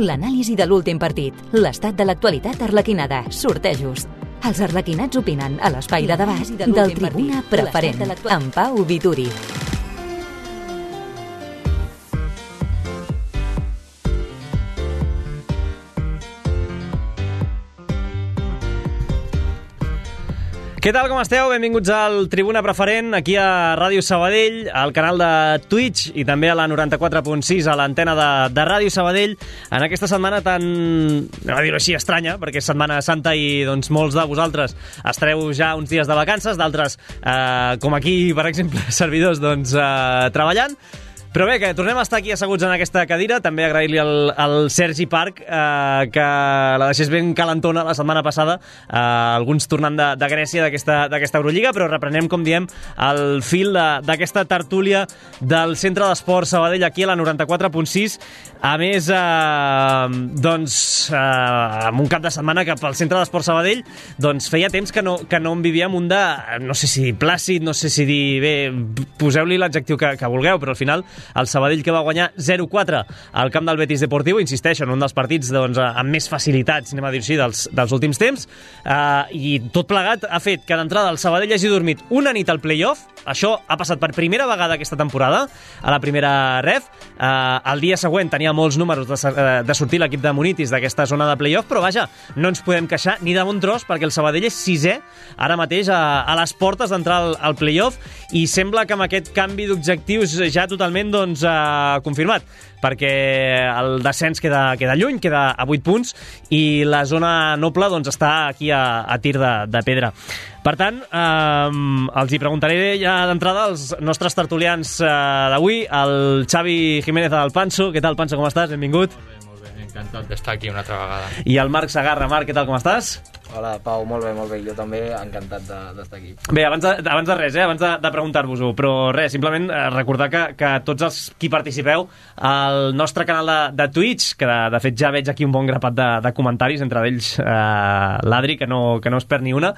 l'anàlisi de l'últim partit, l'estat de l'actualitat arlequinada, sortejos. Els arlequinats opinen a l'espai de debat del Tribuna Preferent, amb Pau Vituri. Què tal, com esteu? Benvinguts al Tribuna Preferent, aquí a Ràdio Sabadell, al canal de Twitch i també a la 94.6, a l'antena de Ràdio Sabadell, en aquesta setmana tan, anem a dir-ho així, estranya, perquè és Setmana Santa i doncs, molts de vosaltres estareu ja uns dies de vacances, d'altres, com aquí, per exemple, servidors, doncs, treballant. Però bé, que tornem a estar aquí asseguts en aquesta cadira. També agrair-li al Sergi Parc que la deixés ben calentona la setmana passada, alguns tornant de Grècia d'aquesta Eurolliga, però reprenem, com diem, el fil d'aquesta tertúlia del Centre d'Esport Sabadell aquí a la 94.6. A més, doncs, amb un cap de setmana que pel Centre d'Esport Sabadell doncs feia temps que no en vivíem un de, no sé si dir plàcid, no sé si dir, bé, poseu-li l'adjectiu que vulgueu, però al final el Sabadell, que va guanyar 0-4 al camp del Betis Deportiu, insisteixo, en un dels partits doncs, amb més facilitats, anem a dir-ho així, dels últims temps, i tot plegat ha fet que d'entrada el Sabadell hagi dormit una nit al play-off. Això ha passat per primera vegada aquesta temporada, a la primera ref. El dia següent tenia molts números de sortir l'equip de Munitis d'aquesta zona de play-off, però vaja, no ens podem queixar ni de bon tros, perquè el Sabadell és sisè ara mateix a les portes d'entrar al play-off, i sembla que amb aquest canvi d'objectius ja totalment doncs, confirmat, perquè el descens queda lluny, queda a 8 punts, i la zona noble doncs, està aquí a tir de pedra. Per tant, els hi preguntaré ja d'entrada als nostres tertulians d'avui, el Xavi Jiménez del Panso. Què tal, Panso, com estàs? Benvingut. Molt bé, encantat d'estar aquí una altra vegada. I el Marc Sagarra. Marc, què tal, com estàs? Hola, Pau, molt bé. Jo també encantat d'estar aquí. Bé, abans de res, abans de preguntar-vos-ho, però res, simplement recordar que tots els qui participeu al nostre canal de Twitch, que de fet ja veig aquí un bon grapat de comentaris, entre ells l'Adri, que no es perd ni una.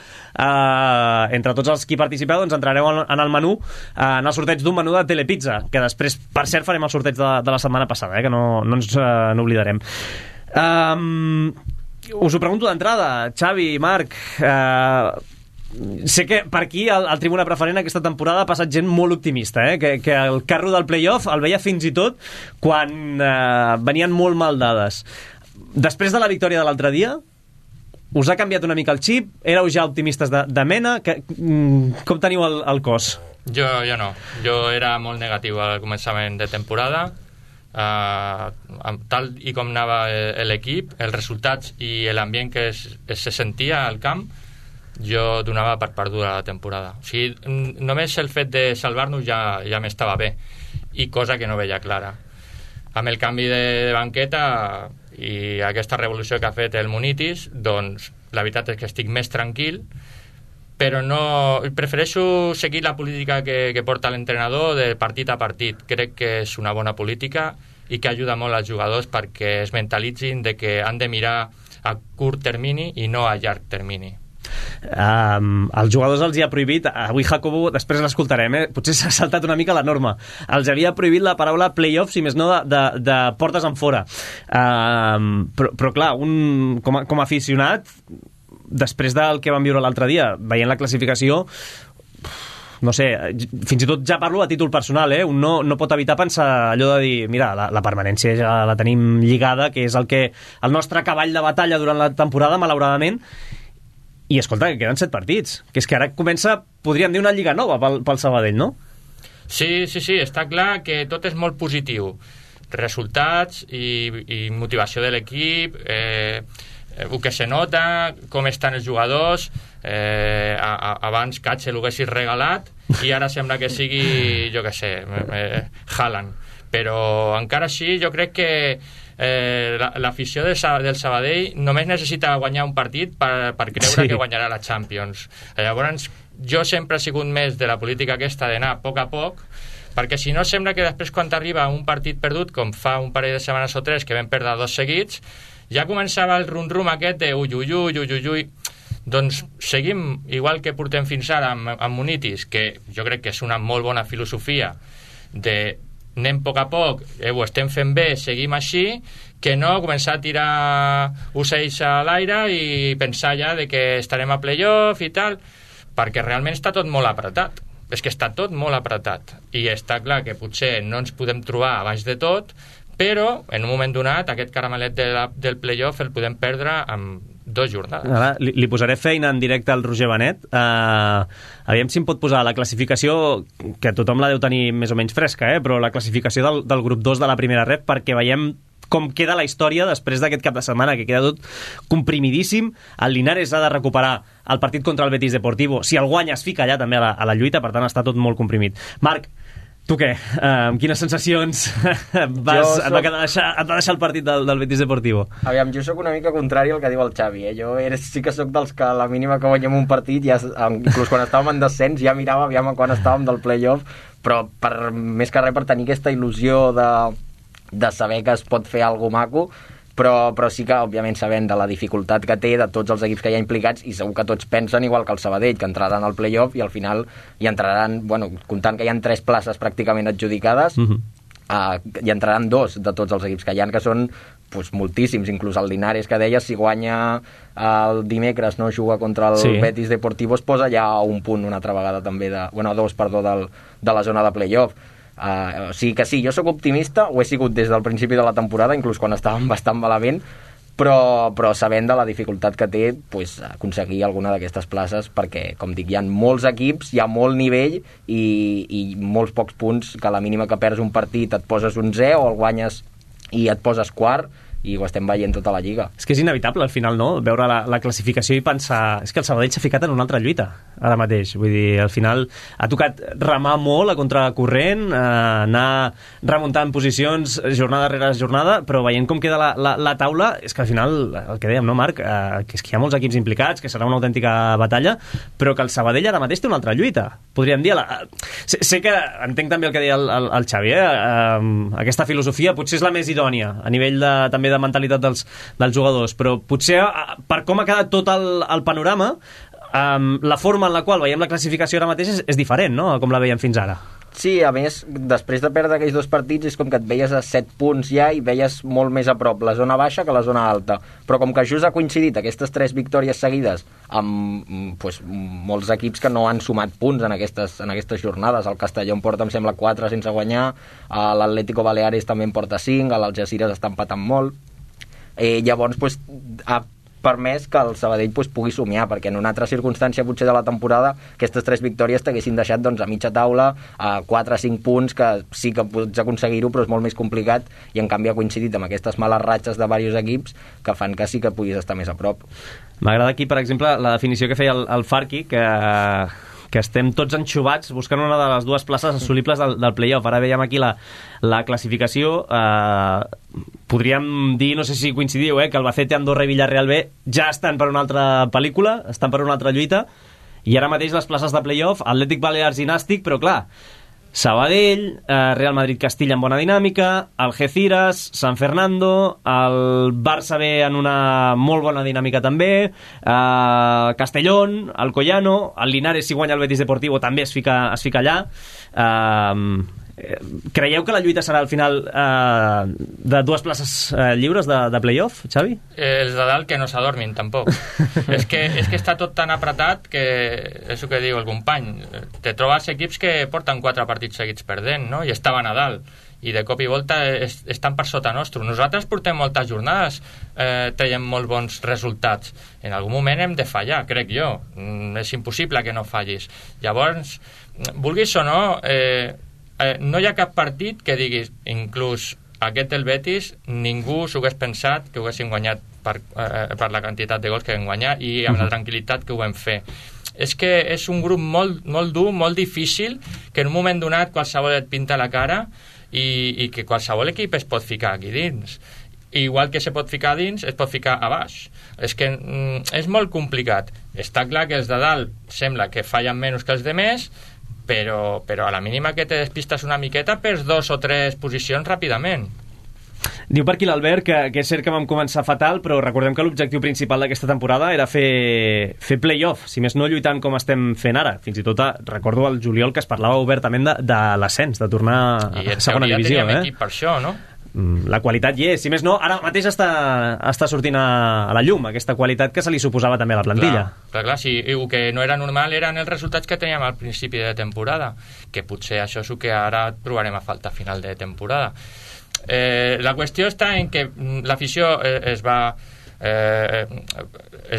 Entre tots els qui participeu, doncs entrareu en el menú, en el sorteig d'un menú de Telepizza, que després, per cert, farem el sorteig de la setmana passada, que no ens n'oblidarem. Us ho pregunto d'entrada, Xavi, Marc, sé que per aquí al Tribuna Preferent aquesta temporada ha passat gent molt optimista, que el carro del play-off el veia fins i tot quan venien molt mal dades. Després de la victòria de l'altre dia, us ha canviat una mica el xip? Éreu ja optimistes de mena? Com teniu el cos? Jo no. Jo era molt negatiu al començament de temporada. Tal i com anava l'equip, els resultats i l'ambient que se sentia al camp, jo donava per perduda la temporada. O sigui, només el fet de salvar-nos ja m'estava bé, i cosa que no veia clara. Amb el canvi de banqueta i aquesta revolució que ha fet el Munitis, doncs la veritat és que estic més tranquil, però no, prefereixo seguir la política que porta l'entrenador de partit a partit. Crec que és una bona política i que ajuda molt als jugadors perquè es mentalitzin de que han de mirar a curt termini i no a llarg termini. Els jugadors els hi ha prohibit, avui Jacobo, després l'escoltarem, potser s'ha saltat una mica la norma, els havia prohibit la paraula playoff, si més no de portes en fora, però clar, com a aficionat, després del que vam viure l'altre dia, veient la classificació, no sé, fins i tot ja parlo a títol personal, un no pot evitar pensar allò de dir, mira, la permanència ja la tenim lligada, que és el nostre cavall de batalla durant la temporada, malauradament, i escolta, que queden 7 partits, que és que ara comença, podríem dir, una lliga nova pel Sabadell, no? Sí, està clar que tot és molt positiu. Resultats i motivació de l'equip, el que se nota, com estan els jugadors. Abans Katxe l'haguessis regalat i ara sembla que sigui, jo què sé, Haaland, però encara així jo crec que l'afició del Sabadell només necessita guanyar un partit per creure que guanyarà la Champions. Llavors jo sempre he sigut més de la política aquesta d'anar a poc, perquè si no sembla que després quan t'arriba un partit perdut, com fa un parell de setmanes o 3 que vam perdre 2 seguits, ja començava el rum-rum aquest de ui. Doncs seguim igual que portem fins ara amb Munitis, que jo crec que és una molt bona filosofia de anem a poc, ho estem fent bé, seguim així, que no començar a tirar ocells a l'aire i pensar ja de que estarem a playoff i tal, perquè realment està tot molt apretat. És que està tot molt apretat. I està clar que potser no ens podem trobar a baix de tot, però en un moment donat aquest caramelet del playoff el podem perdre amb 2 jornades. Ara, li posaré feina en directe al Roger Benet. Aviam si em pot posar la classificació, que tothom la deu tenir més o menys fresca, però la classificació del grup 2 de la primera ref, perquè veiem com queda la història després d'aquest cap de setmana, que queda tot comprimidíssim. El Linares ha de recuperar el partit contra el Betis Deportivo. Si el guanya es fica allà també a la lluita, per tant està tot molt comprimit. Marc, tu què? Amb quines sensacions et va deixar el partit del Betis Deportivo? Aviam, jo sóc una mica contrari al que diu el Xavi. Jo sí que sóc dels que a la mínima que guanyem un partit, ja, inclús quan estàvem en descens, ja mirava aviam quan estàvem del playoff, però més que res per tenir aquesta il·lusió de saber que es pot fer alguna maco, però sí que, òbviament, sabent de la dificultat que té de tots els equips que hi ha implicats, i segur que tots pensen igual que el Sabadell, que entraran al playoff i al final hi entraran, bueno, comptant que hi ha 3 places pràcticament adjudicades, hi entraran 2 de tots els equips que hi ha, que són moltíssims, inclús el Linares, que deies, si guanya el dimecres, no juga contra el Betis Deportivo, es posa ja a un punt una altra vegada també, 2, perdó, de la zona de playoff. O sigui que sí, jo sóc optimista, ho he sigut des del principi de la temporada, inclús quan estàvem bastant malament, però sabent de la dificultat que té aconseguir alguna d'aquestes places, perquè, com dic, hi ha molts equips, hi ha molt nivell i molts pocs punts, que a la mínima que perds un partit et poses 11 o el guanyes i et poses quart, i ho estem veient tota la lliga. És que és inevitable al final, no?, veure la classificació i pensar, és que el Sabadell s'ha ficat en una altra lluita ara mateix, vull dir, al final ha tocat remar molt a contracorrent, anar remuntant posicions jornada rere jornada, però veient com queda la taula, és que al final, el que dèiem, no, Marc, que és que hi ha molts equips implicats, que serà una autèntica batalla, però que el Sabadell ara mateix té una altra lluita, podríem dir. Sé que entenc també el que deia el Xavi, aquesta filosofia potser és la més idònia a nivell també de mentalitat dels jugadors, però potser per com ha quedat tot el panorama, la forma en la qual veiem la classificació ara mateix és diferent, no?, com la veiem fins ara. Sí, a més, després de perdre aquells 2 partits és com que et veies a 7 punts ja i veies molt més a prop la zona baixa que la zona alta, però com que just ha coincidit aquestes 3 victòries seguides amb molts equips que no han sumat punts en aquestes jornades. El Castelló en porta, em sembla, 4 sense guanyar, l'Atlético Baleares també en porta 5, l'Algeciras està empatant molt, llavors ha permès que el Sabadell pugui somiar, perquè en una altra circumstància potser de la temporada aquestes 3 victòries t'haguessin deixat a mitja taula a 4 o 5 punts, que sí que pots aconseguir-ho, però és molt més complicat, i en canvi ha coincidit amb aquestes males ratxes de diversos equips que fan que sí que puguis estar més a prop. M'agrada aquí, per exemple, la definició que feia el Farqui, que estem tots enxubats buscant una de les 2 places assolibles del playoff. Ara veiem aquí la classificació. Podríem dir, no sé si coincidiu, que Albacete, Andorra i Villarreal B ja estan per una altra pel·lícula, estan per una altra lluita, i ara mateix les places de playoff, Atlètic Balears i Nàstic, però clar, Sabadell, Real Madrid-Castilla en bona dinàmica, Algeciras, San Fernando, el Barça B en una molt bona dinàmica també, Castellón, Alcoyano, el Linares, si guanya el Betis Deportivo, també es fica allà. Creieu que la lluita serà al final de 2 places lliures de playoff, Xavi? Els de dalt que no s'adormin tampoc. és que està tot tan apretat que és el que diu el company, te trobes equips que porten 4 partits seguits perdent, no?, i estaven a dalt, i de cop i volta estan per sota nostre. Nosaltres portem moltes jornades traiem molt bons resultats, en algun moment hem de fallar, crec jo, és impossible que no fallis. Llavors, vulguis o no, no hi ha cap partit que diguis, inclús aquest del Betis, ningú s'ho hagués pensat que ho haguessin guanyat per la quantitat de gols que vam guanyar i amb la tranquil·litat que ho vam fer. És que és un grup molt, molt dur, molt difícil, que en un moment donat qualsevol et pinta la cara i que qualsevol equip es pot ficar aquí dins. Igual que se pot ficar dins, es pot ficar a baix. És que és molt complicat. Està clar que els de dalt sembla que fallen menys que els de més, però a la mínima que te despistes una miqueta perds 2 o 3 posicions ràpidament. Diu per aquí l'Albert que és cert que vam començar fatal, però recordem que l'objectiu principal d'aquesta temporada era fer play-off, si més no lluitant com estem fent ara. Fins i tot recordo al juliol que es parlava obertament de l'ascens, de tornar a segona divisió. I teníem equip per això, no? La qualitat hi és. Si més no, ara mateix està sortint a la llum aquesta qualitat que se li suposava també a la plantilla. Clar, sí, el que no era normal eren els resultats que teníem al principi de temporada, que potser això és el que ara trobarem a falta a final de temporada. La qüestió està en que l'afició es va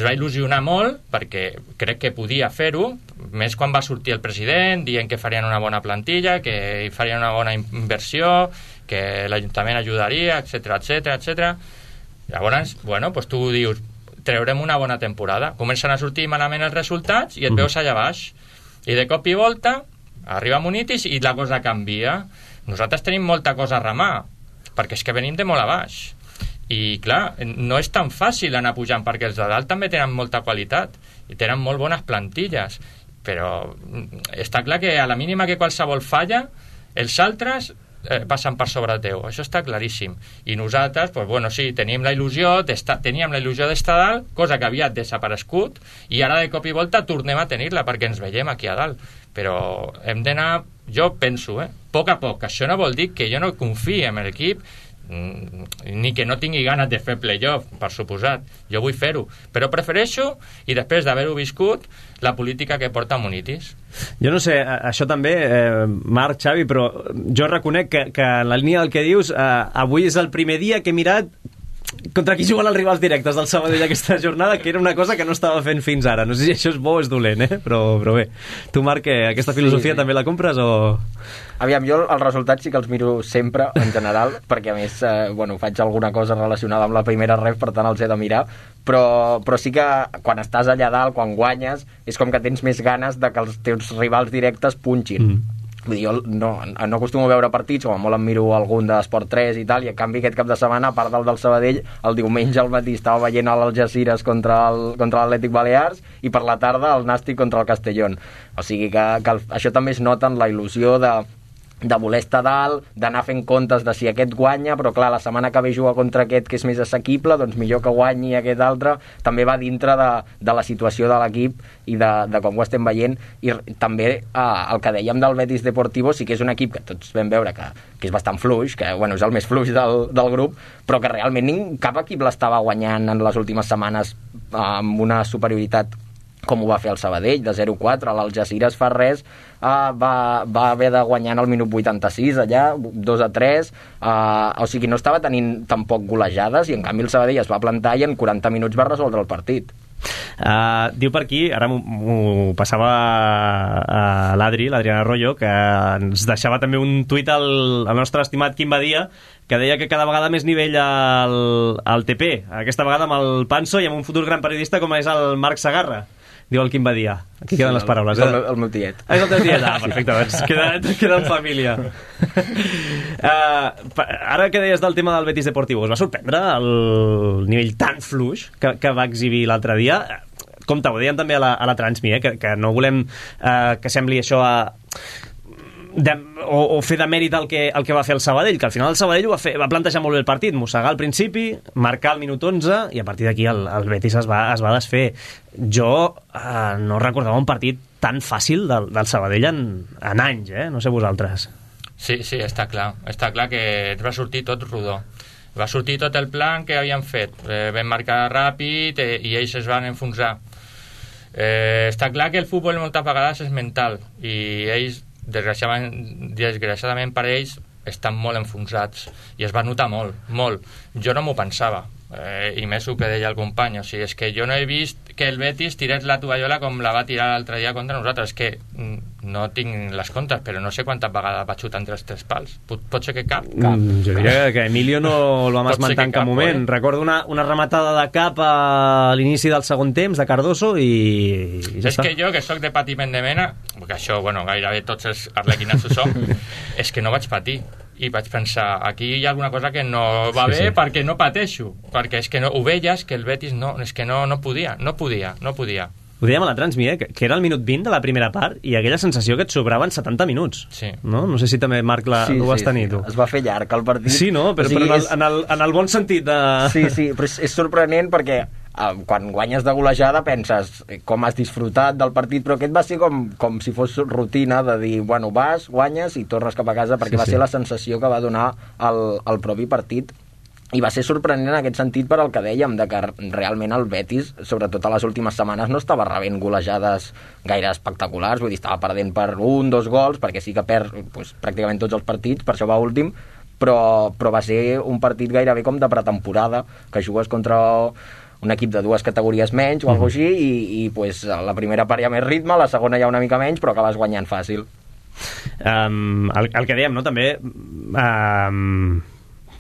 il·lusionar molt perquè crec que podia fer-ho, més quan va sortir el president dient que farien una bona plantilla, que farien una bona inversió, que l'Ajuntament ajudaria, etc. Llavors, bueno, pues tu dius, treurem una bona temporada, comencen a sortir malament els resultats i et veus allà baix, i de cop i volta arriba Munitis i la cosa canvia. Nosaltres tenim molta cosa a remar, perquè és que venim de molt a baix, i clar, no és tan fàcil anar pujant, perquè els de dalt també tenen molta qualitat i tenen molt bones plantilles, però està clar que a la mínima que qualsevol falla, els altres passen per sobre teu, això està claríssim. I nosaltres, pues bueno, sí, teníem la il·lusió d'estar dalt, cosa que havia desaparegut, i ara de cop i volta tornem a tenir-la perquè ens veiem aquí a dalt, però hem d'anar, jo penso, a poc, això no vol dir que jo no confii en l'equip, ni que no tingui ganes de fer playoff, per suposat, jo vull fer-ho, però prefereixo, i després d'haver-ho viscut, la política que porta Munitis. Jo no sé, això també, Marc, Xavi, però jo reconec que en la línia del que dius, avui és el primer dia que he mirat contra qui juguen els rivals directes del Sabadell aquesta jornada, que era una cosa que no estava fent fins ara. No sé si això és bo o és dolent, però bé. Tu, Marc, aquesta filosofia també la compres o...? Aviam, jo els resultats sí que els miro sempre, en general, perquè a més, faig alguna cosa relacionada amb la primera ref, per tant els he de mirar, però sí que quan estàs allà dalt, quan guanyes, és com que tens més ganes de que els teus rivals directes punxin. Vull dir, jo no acostumo a veure partits, com molt em miro algun d'Esport 3 i tal, i en canvi aquest cap de setmana, a part del Sabadell, el diumenge al matí estava veient l'Algeciras contra l'Atlètic Balears i per la tarda el Nàstic contra el Castellón. O sigui que això també es nota en la il·lusió de voler estar dalt, d'anar fent comptes de si aquest guanya, però clar, la setmana que ve jugar contra aquest que és més assequible, doncs millor que guanyi aquest altre. També va dintre de la situació de l'equip i de com ho estem veient, i també el que dèiem del Betis Deportivo, sí que és un equip que tots vam veure que és bastant fluix, que és el més fluix del grup, però que realment cap equip l'estava guanyant en les últimes setmanes amb una superioritat com ho va fer el Sabadell, de 0-4. L'Algeciras fa res, va haver de guanyar en el minut 86 allà, 2-3, o sigui, no estava tenint tampoc golejades, i en canvi el Sabadell es va plantar i en 40 minuts va resoldre el partit. Diu per aquí, ara m'ho passava a l'Adriana Arroyo, que ens deixava també un tuit al nostre estimat Quim Badia, que deia que cada vegada més nivell al TP, aquesta vegada amb el Panso i amb un futur gran periodista com és el Marc Segarra. Diu el Quim Badia. Aquí queden les paraules. El meu tiet. És el teu tiet. Perfecte, doncs queda en família. Ara que deies del tema del Betis Deportivo, us va sorprendre el nivell tan fluix que va exhibir l'altre dia? Compte, ho deien també a la Transmi, que no volem que sembli això o fer de mèrit el que va fer el Sabadell, que al final el Sabadell va plantejar molt bé el partit, mossegar al principi, marcar al minut 11 i a partir d'aquí el Betis es va desfer. Jo no recordava un partit tan fàcil del Sabadell en anys, no sé vosaltres. Sí, està clar que va sortir tot rodó, va sortir tot el plan que havien fet, vam marcar ràpid i ells es van enfonsar. Està clar que el futbol moltes vegades és mental i ells desgraciadament per ells estan molt enfonsats i es va notar molt. Jo no m'ho pensava, i més el que deia el company, o sigui, és que jo no he vist que el Betis tirés la tovallola com la va tirar l'altre dia contra nosaltres. És que no tinc les comptes, però no sé quantes vegades va xutar entre els tres pals. Pot ser que cap. Jo diria que Emilio no el vam esmentar en cap moment. Recordo una rematada de cap a l'inici del segon temps de Cardoso i ja és està. Que jo, que sóc de patiment de mena, que això, gairebé tots els arlequinats ho som, és que no vaig patir. I vaig pensar, aquí hi ha alguna cosa que no va bé, perquè no pateixo, perquè és que no, ho veies que el Betis és que no podia. Ho dèiem a la Transmi, que era el minut 20 de la primera part i aquella sensació que et sobraven 70 minuts. Sí. No sé si també, Marc, ho vas tenir tu. Es va fer llarg el partit. Sí, no? Però en el bon sentit de... Sí, però és sorprenent perquè quan guanyes de golejada penses com has disfrutat del partit, però aquest va ser com si fos rutina de dir, bueno, vas, guanyes i tornes cap a casa, perquè va ser la sensació que va donar el propi partit. I va ser sorprenent en aquest sentit per al que dèiem, de que realment el Betis, sobretot a les últimes setmanes, no estava rebent golejades gaire espectaculars, vull dir, estava perdent per 1, 2 gols, perquè sí que perd pràcticament tots els partits, per això va últim, però va ser un partit gairebé com de pretemporada, que jugues contra un equip de 2 categories menys o alguna cosa així, i la primera part hi ha més ritme, la segona hi ha una mica menys, però acabes guanyant fàcil. El que dèiem, no?, també...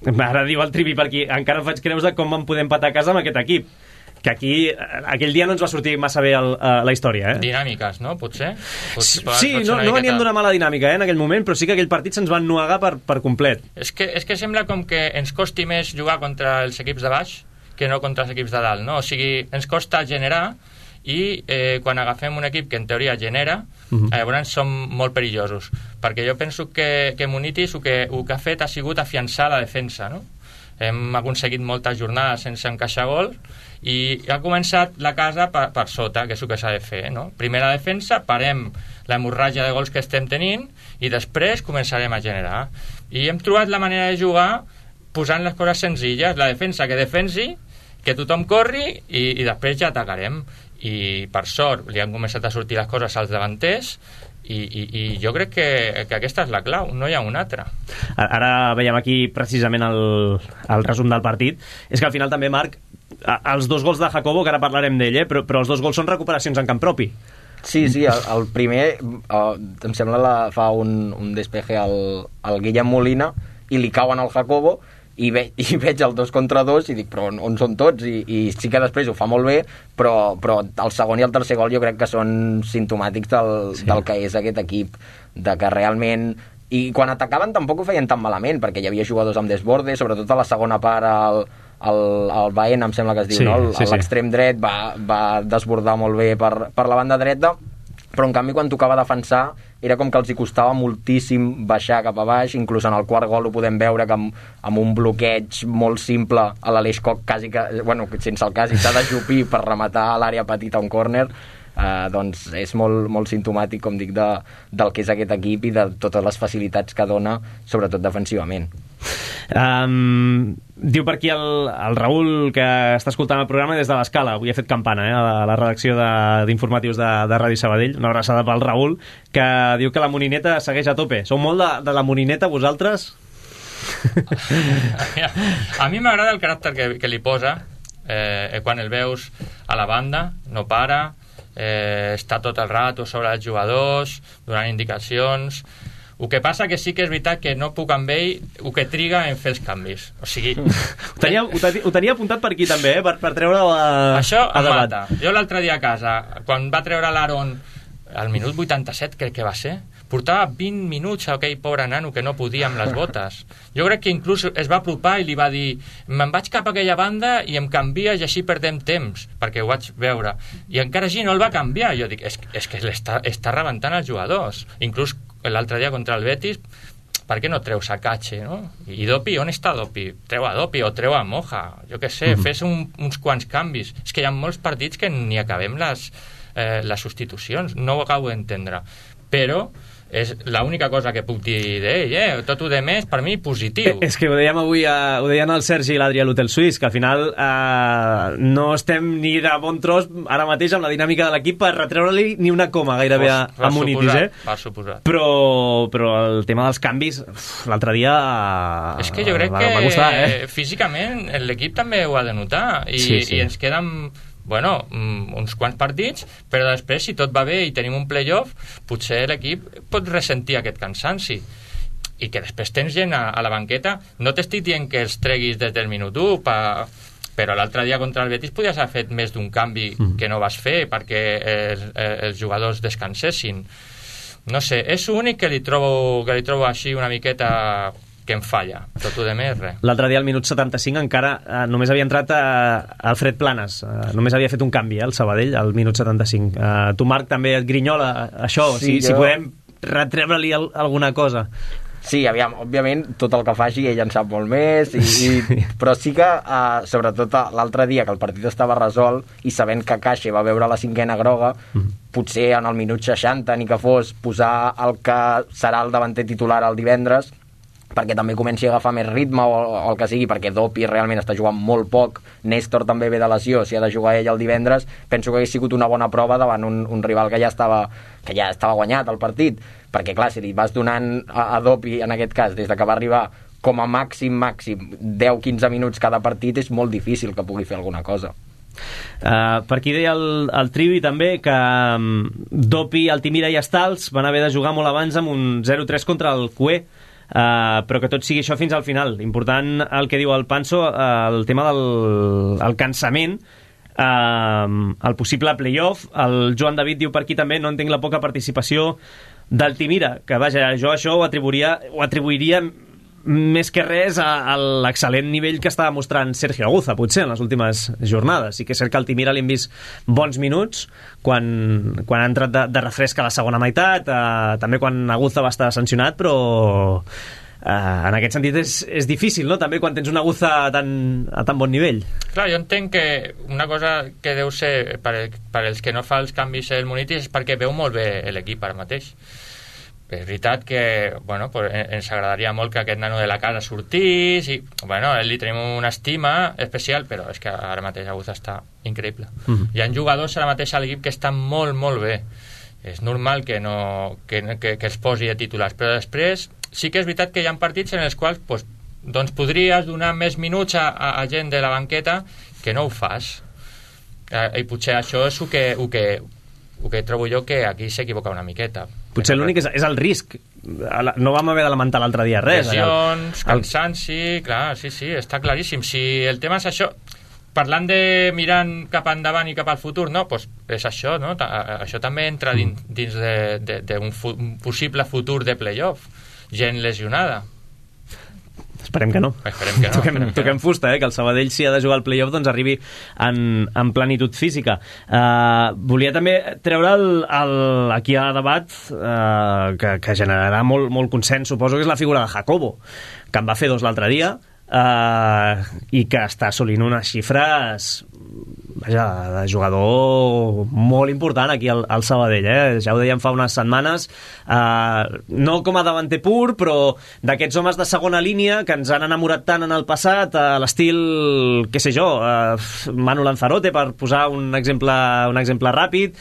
Ara diu el Trivi per aquí, encara faig creus de com vam poder empatar a casa amb aquest equip, que aquí aquell dia no ens va sortir massa bé la història, Dinàmiques, no? Potser sí, no venien d'una mala dinàmica en aquell moment, però sí que aquell partit se'ns va ennuegar per complet. És que sembla com que ens costi més jugar contra els equips de baix que no contra els equips de dalt, no? O sigui, ens costa generar i quan agafem un equip que en teoria genera, llavors som molt perillosos, perquè jo penso que Munitis el que ha fet ha sigut afiançar la defensa, no? Hem aconseguit moltes jornades sense encaixar gol i ha començat la casa per sota, que és el que s'ha de fer, no? Primer la defensa, parem l'hemorràgia de gols que estem tenint i després començarem a generar, i hem trobat la manera de jugar posant les coses senzilles, la defensa que defensi, que tothom corri i després ja atacarem. I per sort li han començat a sortir les coses als davanters i jo crec que aquesta és la clau, no hi ha una altra. Ara veiem aquí precisament el resum del partit. És que al final també, Marc, els 2 gols de Jacobo, que ara parlarem d'ell, però els 2 gols són recuperacions en camp propi. Sí, el primer em sembla fa un despeje al Guillem Molina i li cauen al Jacobo i veig el 2 contra 2 i dic, però on són tots? I sí que després ho fa molt bé, però el segon i el tercer gol jo crec que són simptomàtics del que és aquest equip, de que realment... I quan atacaven tampoc ho feien tan malament, perquè hi havia jugadors amb desborde, sobretot a la segona part el Baena, em sembla que es diu, no? L'extrem dret va desbordar molt bé per la banda dreta, però en canvi quan tocava defensar era com que els hi costava moltíssim baixar cap a baix, inclús en el quart gol ho podem veure que amb un bloqueig molt simple a l'Aleix Koch quasi que, sense el quasi, s'ha d'ajupir per rematar a l'àrea petita un córner. Doncs és molt, molt simptomàtic, com dic, del que és aquest equip i de totes les facilitats que dona, sobretot defensivament. Diu per aquí el Raül, que està escoltant el programa des de l'Escala, avui ha fet campana a la redacció d'informatius de Ràdio Sabadell, una abraçada pel Raül, que diu que la Monineta segueix a tope. Sou molt de la Monineta vosaltres? A mi m'agrada el caràcter que li posa quan el veus a la banda, no para, està tot el rato sobre els jugadors, donant indicacions. El que passa que sí que és veritat que no puc amb ell el que triga en fer els canvis. O sigui... Ho tenia apuntat per aquí també, per treure-ho això em mata. Jo l'altre dia a casa, quan va treure l'Aaron al minut 87, crec que va ser, portava 20 minuts a aquell pobre nano que no podia amb les botes. Jo crec que inclús es va apropar i li va dir, me'n vaig cap a aquella banda i em canvies i així perdem temps, perquè ho vaig veure. I encara així no el va canviar. Jo dic, és que està rebentant els jugadors. Inclús l'altre dia contra el Betis, per què no treus a Cache, no? I Dopi, on està Dopi? Treu a Dopi o treu a Moja, jo què sé, fes uns quants canvis. És que hi ha molts partits que ni acabem les substitucions, no ho acabo d'entendre, però és l'única cosa que puc dir d'ell, tot ho de més per mi positiu. És que ho dèiem avui, ho deien el Sergi i l'Adrià a l'Hotel Suís, que al final no estem ni de bon tros ara mateix amb la dinàmica de l'equip per retreure-li ni una coma gairebé a Munitis, per suposat. Però el tema dels canvis l'altre dia és que jo crec que físicament l'equip també ho ha de notar i ens queden uns quants partits, però després si tot va bé i tenim un playoff, potser l'equip pot ressentir aquest cansanci i que després tens gent a la banqueta. No t'estic dient que els treguis des del minut 1 però l'altre dia contra el Betis podies haver fet més d'un canvi que no vas fer perquè els jugadors descansessin. No sé, és l'únic que li trobo així una miqueta que em falla. Tot el de més, res. L'altre dia, al minut 75, encara només havia entrat Alfred Planes. Només havia fet un canvi, el Sabadell, al minut 75. Tu, Marc, també et grinyola això, Sí, si podem retreure-li alguna cosa. Sí, aviam, òbviament, tot el que faci ell en sap molt més, però sí que, sobretot l'altre dia, que el partit estava resolt, i sabent que Caixa va veure la 5ª groga, potser en el minut 60, ni que fos, posar el que serà el davanter titular el divendres, perquè també comenci a agafar més ritme o el que sigui, perquè Dopi realment està jugant molt poc, Néstor també ve de lesió, si ha de jugar ell el divendres, penso que hagués sigut una bona prova davant un rival que ja estava guanyat el partit, perquè clar, si li vas donant a Dopi, en aquest cas, des de que va arribar com a màxim 10-15 minuts cada partit, és molt difícil que pugui fer alguna cosa. Per aquí deia el Trivi també que Dopi, Altimira i Estals van haver de jugar molt abans amb un 0-3 contra el Cué, però que tot sigui això fins al final. Important el que diu el Panso, el tema del cansament, el possible playoff. El Joan David diu per aquí també: no entenc la poca participació d'Altimira, que vaja, jo això ho atribuiria més que res a l'excel·lent nivell que estava mostrant Sergio Aguza, potser, en les últimes jornades. Sí que és cert que al Altimira li hem vist bons minuts quan ha entrat de refresc a la segona meitat, també quan Aguza va estar sancionat, però en aquest sentit és difícil, no?, també quan tens un Aguza a tan bon nivell. Clar, jo entenc que una cosa que deu ser per als que no fa els canvis el Munitis és perquè veu molt bé l'equip ara mateix. És veritat que ens agradaria molt que aquest nano de la casa sortís i li tenim una estima especial, però és que ara mateix Aguza està increïble. Hi ha jugadors ara mateix a l'equip que estan molt, molt bé. És normal que els posi de titulars, però després sí que és veritat que hi ha partits en els quals doncs podries donar més minuts a gent de la banqueta que no ho fas. I potser això és el que trobo jo que aquí s'equivoca una miqueta. Potser l'únic és el risc. No vam haver de lamentar l'altre dia res. Lesions, cansanci, clar, sí, està claríssim. Si el tema és això, parlant de mirant cap endavant i cap al futur, no, doncs és això, no? Això també entra dins d'un possible futur de playoff. Gent lesionada. Esperem que no. Toquem fusta, que el Sabadell, si ha de jugar al playoff, doncs arribi en plenitud física. Volia també treure aquí a debat que generarà molt consens, suposo que és la figura de Jacobo, que en va fer 2 l'altre dia, i que està assolint unes xifres de jugador molt important aquí al Sabadell, ja ho dèiem fa unes setmanes, no com a davanter pur, però d'aquests homes de segona línia que ens han enamorat tant en el passat, a l'estil, què sé jo, Manu Lanzarote, per posar un exemple ràpid,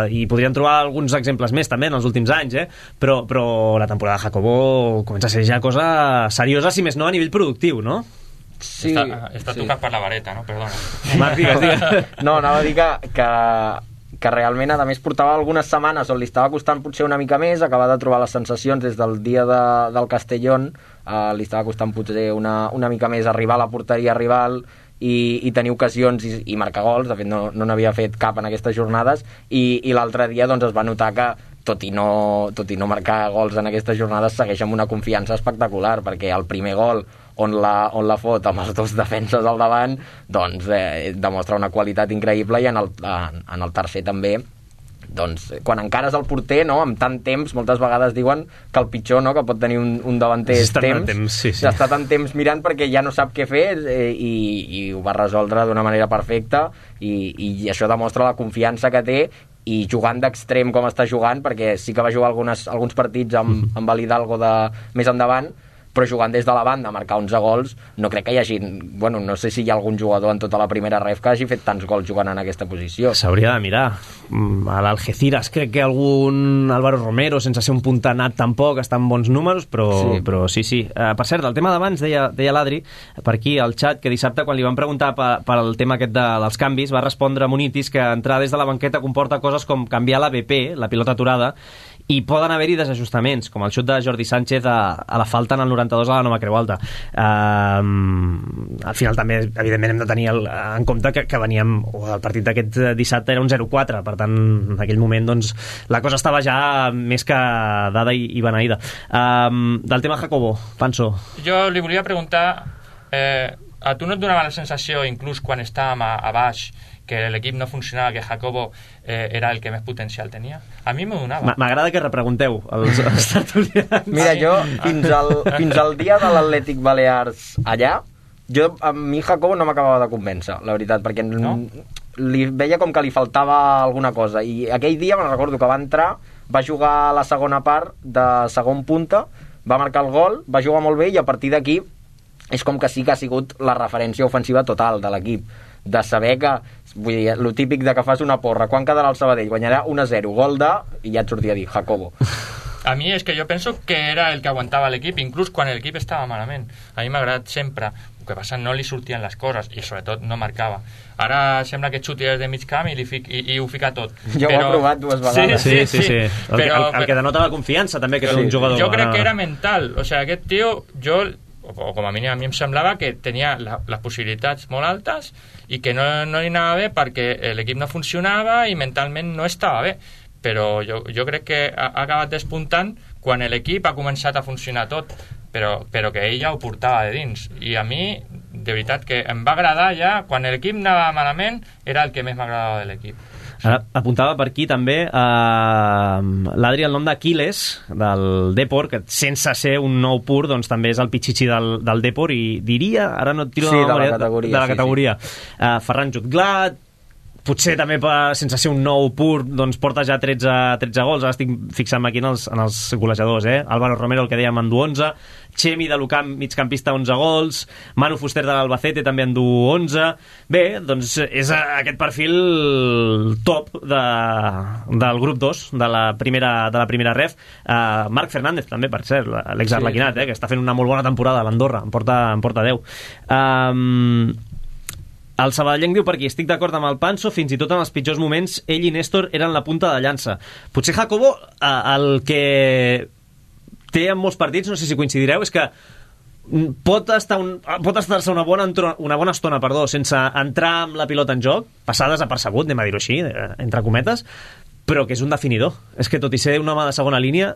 i podríem trobar alguns exemples més també en els últims anys, però la temporada de Jacobo comença a ser ja cosa seriosa, si més no a nivell productiu, no? Sí, està tocat per la vareta, no? Perdona. Marc, digues. No, anava a dir que realment, a més, portava algunes setmanes on li estava costant potser una mica més, acabar de trobar les sensacions des del dia del Castellón, li estava costant potser una mica més arribar a la porteria rival i tenir ocasions i marcar gols. De fet, no n'havia fet cap en aquestes jornades, i l'altre dia doncs es va notar que tot i no marcar gols en aquestes jornades, segueix amb una confiança espectacular, perquè el primer gol on la fot amb els 2 defenses al davant, doncs demostra una qualitat increïble, i en el tercer també, doncs quan encara és el porter, no, amb tant temps, moltes vegades diuen que el pitjor, no, que pot tenir un davanter és temps, està tant temps mirant perquè ja no sap què fer, i ho va resoldre d'una manera perfecta, i això demostra la confiança que té, i jugant d'extrem com està jugant, perquè sí que va jugar alguns partits amb el Hidalgo més endavant, però jugant des de la banda a marcar 11 gols, no crec que hi hagi... no sé si hi ha algun jugador en tota la primera ref que hagi fet tants gols jugant en aquesta posició. S'hauria de mirar. A l'Algeciras crec que algun Álvaro Romero, sense ser un puntanat tampoc, està en bons números, però sí. Per cert, el tema d'abans, deia l'Adri, per aquí al xat, que dissabte, quan li van preguntar per el tema aquest dels canvis, va respondre Munitis que entrar des de la banqueta comporta coses com canviar la BP, la pilota aturada, i poden haver-hi desajustaments, com el xut de Jordi Sánchez a la falta en el 92 a la Nova Creu Alta. Al final també, evidentment, hem de tenir en compte que veníem, o el partit d'aquest dissabte era un 0-4, per tant, en aquell moment doncs, la cosa estava ja més que dada i beneïda. Del tema Jacobo, Panso. Jo li volia preguntar, a tu no et donava la sensació, inclús quan estàvem a baix, que l'equip no funcionava, que Jacobo era el que més potencial tenia? A mi m'ho donava. M'agrada que repregunteu els tertulians. Mira, jo fins al dia de l'Atlètic Balears allà, a mi Jacobo no m'acabava de convèncer, la veritat, perquè li veia com que li faltava alguna cosa, i aquell dia me'n recordo que va entrar, va jugar la segona part de segon punta, va marcar el gol, va jugar molt bé, i a partir d'aquí és com que sí que ha sigut la referència ofensiva total de l'equip, de saber que, vull dir, lo típic de que fas una porra, quan quedarà el Sabadell? Guanyarà 1-0, gol de... i ja et sortia a dir, Jacobo. A mi és que jo penso que era el que aguantava l'equip, inclús quan l'equip estava malament. A mi m'ha agradat sempre. El que passa, no li sortien les coses, i sobretot no marcava. Ara sembla que xuti des de mig camp i ho fica tot. Jo ho he provat 2 vegades. Sí. El que denota la confiança, també, que és un jugador. Jo crec que era mental. O sigui, aquest tio, o com a mínim a mi em semblava que tenia les possibilitats molt altes i que no li anava bé perquè l'equip no funcionava i mentalment no estava bé, però jo crec que ha acabat despuntant quan l'equip ha començat a funcionar tot, però que ell ja ho portava de dins, i a mi de veritat que em va agradar ja, quan l'equip anava malament era el que més m'agradava de l'equip. Ara, apuntava per aquí també l'Adri el nom d'Aquiles del Depor, que sense ser un nou pur doncs també és el pitxitxi del Depor, i diria, ara no et tiro de la categoria. Ferran Jutglat, potser també sense ser un nou pur doncs porta ja 13 gols. Ara estic fixant-me aquí en els golejadors, Álvaro Romero, el que dèiem, en du 11, Chemi de l'Ucamp, migcampista, 11 gols, Manu Fuster de l'Albacete també en du 11. Bé, doncs és aquest perfil top del grup 2 de la primera ref. Marc Fernández també, per cert, l'ex-arlequinat, que està fent una molt bona temporada a l'Andorra, en porta 10. El sabadellenc diu per aquí: estic d'acord amb el Panso, fins i tot en els pitjors moments ell i Néstor eren la punta de llança. Potser Jacobo, el que té en molts partits, no sé si coincidireu, és que pot estar-se una bona estona sense entrar amb la pilota en joc, passar desapercebut, anem a dir-ho així, entre cometes, però que és un definidor. És que tot i ser un home de segona línia,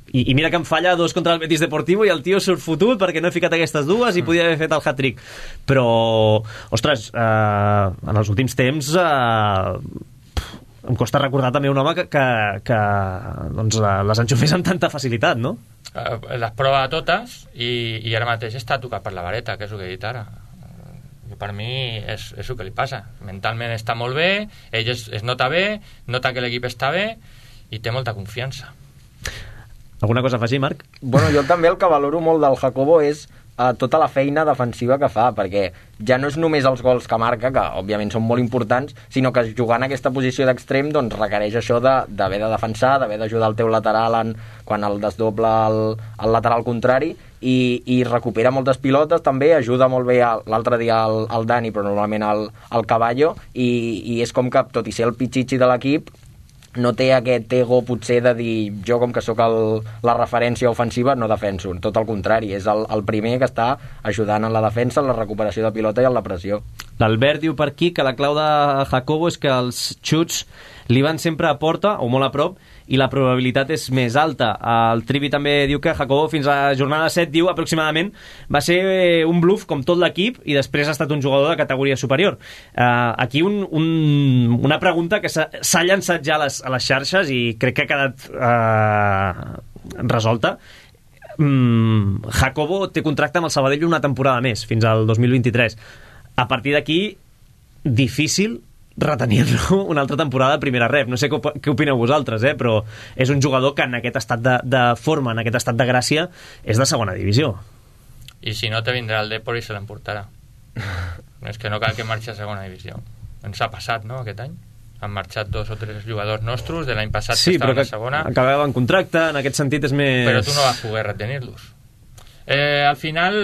i mira que em falla 2 contra el Betis Deportivo i el tio surt fotut perquè no he ficat aquestes dues i podia haver fet el hat-trick, però ostres, en els últims temps em costa recordar també un home que doncs, les enxufés amb tanta facilitat, no? Les prova totes i ara mateix està tocat per la vareta, que és el que he dit ara. Per mi és el que li passa. Mentalment està molt bé, ell es nota bé, nota que l'equip està bé i té molta confiança. Alguna cosa a afegir, Marc? Bueno, jo també el que valoro molt del Jacobo és tota la feina defensiva que fa, perquè ja no és només els gols que marca, que òbviament són molt importants, sinó que jugant en aquesta posició d'extrem doncs requereix això d'haver de defensar, d'haver d'ajudar el teu lateral quan el desdobla el lateral contrari, i recupera moltes pilotes també, ajuda molt bé l'altre dia el Dani, però normalment el Caballo, i és com que, tot i ser el pitxitxi de l'equip, no té aquest ego potser de dir jo com que sóc la referència ofensiva no defenso, tot el contrari, és el primer que està ajudant en la defensa, en la recuperació de pilota i en la pressió. L'Albert diu per aquí que la clau de Jacobo és que els xuts li van sempre a porta o molt a prop i la probabilitat és més alta. El Trivi també diu que Jacobo fins a la jornada 7, diu aproximadament, va ser un bluff com tot l'equip i després ha estat un jugador de categoria superior. Aquí una pregunta que s'ha llançat ja a les xarxes i crec que ha quedat resolta. Jacobo té contracte amb el Sabadell una temporada més, fins al 2023. A partir d'aquí, difícil retenir-lo una altra temporada de primera ref. No sé què opineu vosaltres, però és un jugador que en aquest estat de forma, en aquest estat de gràcia, és de segona divisió. I si no, te vindrà el Depor i se l'emportarà. És que no cal que marxi a segona divisió. Ens ha passat, no?, aquest any. Han marxat 2 o 3 jugadors nostres de l'any passat que estaven a segona. Sí, però acabaven contracte, en aquest sentit és més... Però tu no vas poder retenir-los. Al final,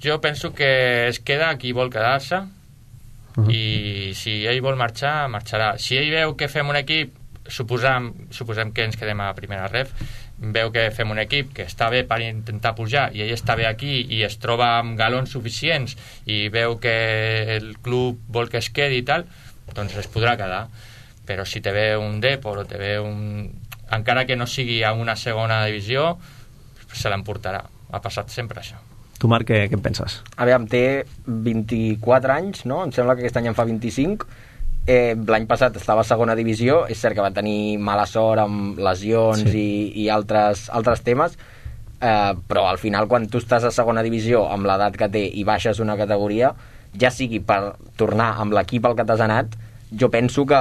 jo penso que es queda qui vol quedar-se, i si ell vol marxar, marxarà. Si ell veu que fem un equip suposem que ens quedem a primera ref, veu que fem un equip que està bé per intentar pujar i ell està bé aquí i es troba amb galons suficients i veu que el club vol que es quedi i tal, doncs es podrà quedar. Però si te ve un Depor o te ve encara que no sigui a una segona divisió, se l'emportarà. Ha passat sempre això. Tu, Marc, què en penses? Aviam, té 24 anys, no? Em sembla que aquest any en fa 25. L'any passat estava a segona divisió. És cert que va tenir mala sort amb lesions i altres temes, però al final, quan tu estàs a segona divisió amb l'edat que té i baixes una categoria, ja sigui per tornar amb l'equip al que t'has anat, jo penso que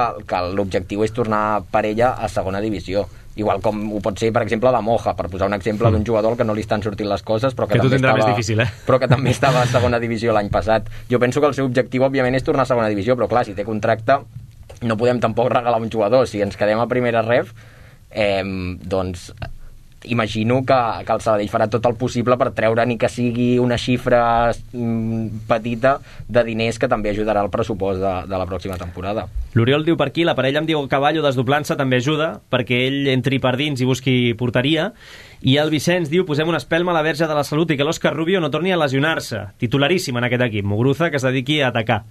l'objectiu és tornar per ella a segona divisió. Igual com ho pot ser, per exemple, la Moja, per posar un exemple d'un jugador que no li estan sortint les coses, però que també més difícil, però que també estava a segona divisió l'any passat. Jo penso que el seu objectiu, òbviament, és tornar a segona divisió, però clar, si té contracte, no podem tampoc regalar un jugador. Si ens quedem a primera ref, doncs imagino que el Sabadell farà tot el possible per treure ni que sigui una xifra petita de diners que també ajudarà al pressupost de la pròxima temporada. L'Oriol diu per aquí, la parella amb Diego Caballo desdoblant-se també ajuda perquè ell entri per dins i busqui porteria, i el Vicenç diu posem una espelma a la Verge de la Salut i que l'Òscar Rubio no torni a lesionar-se, titularíssim en aquest equip. Muguruza que es dediqui a atacar.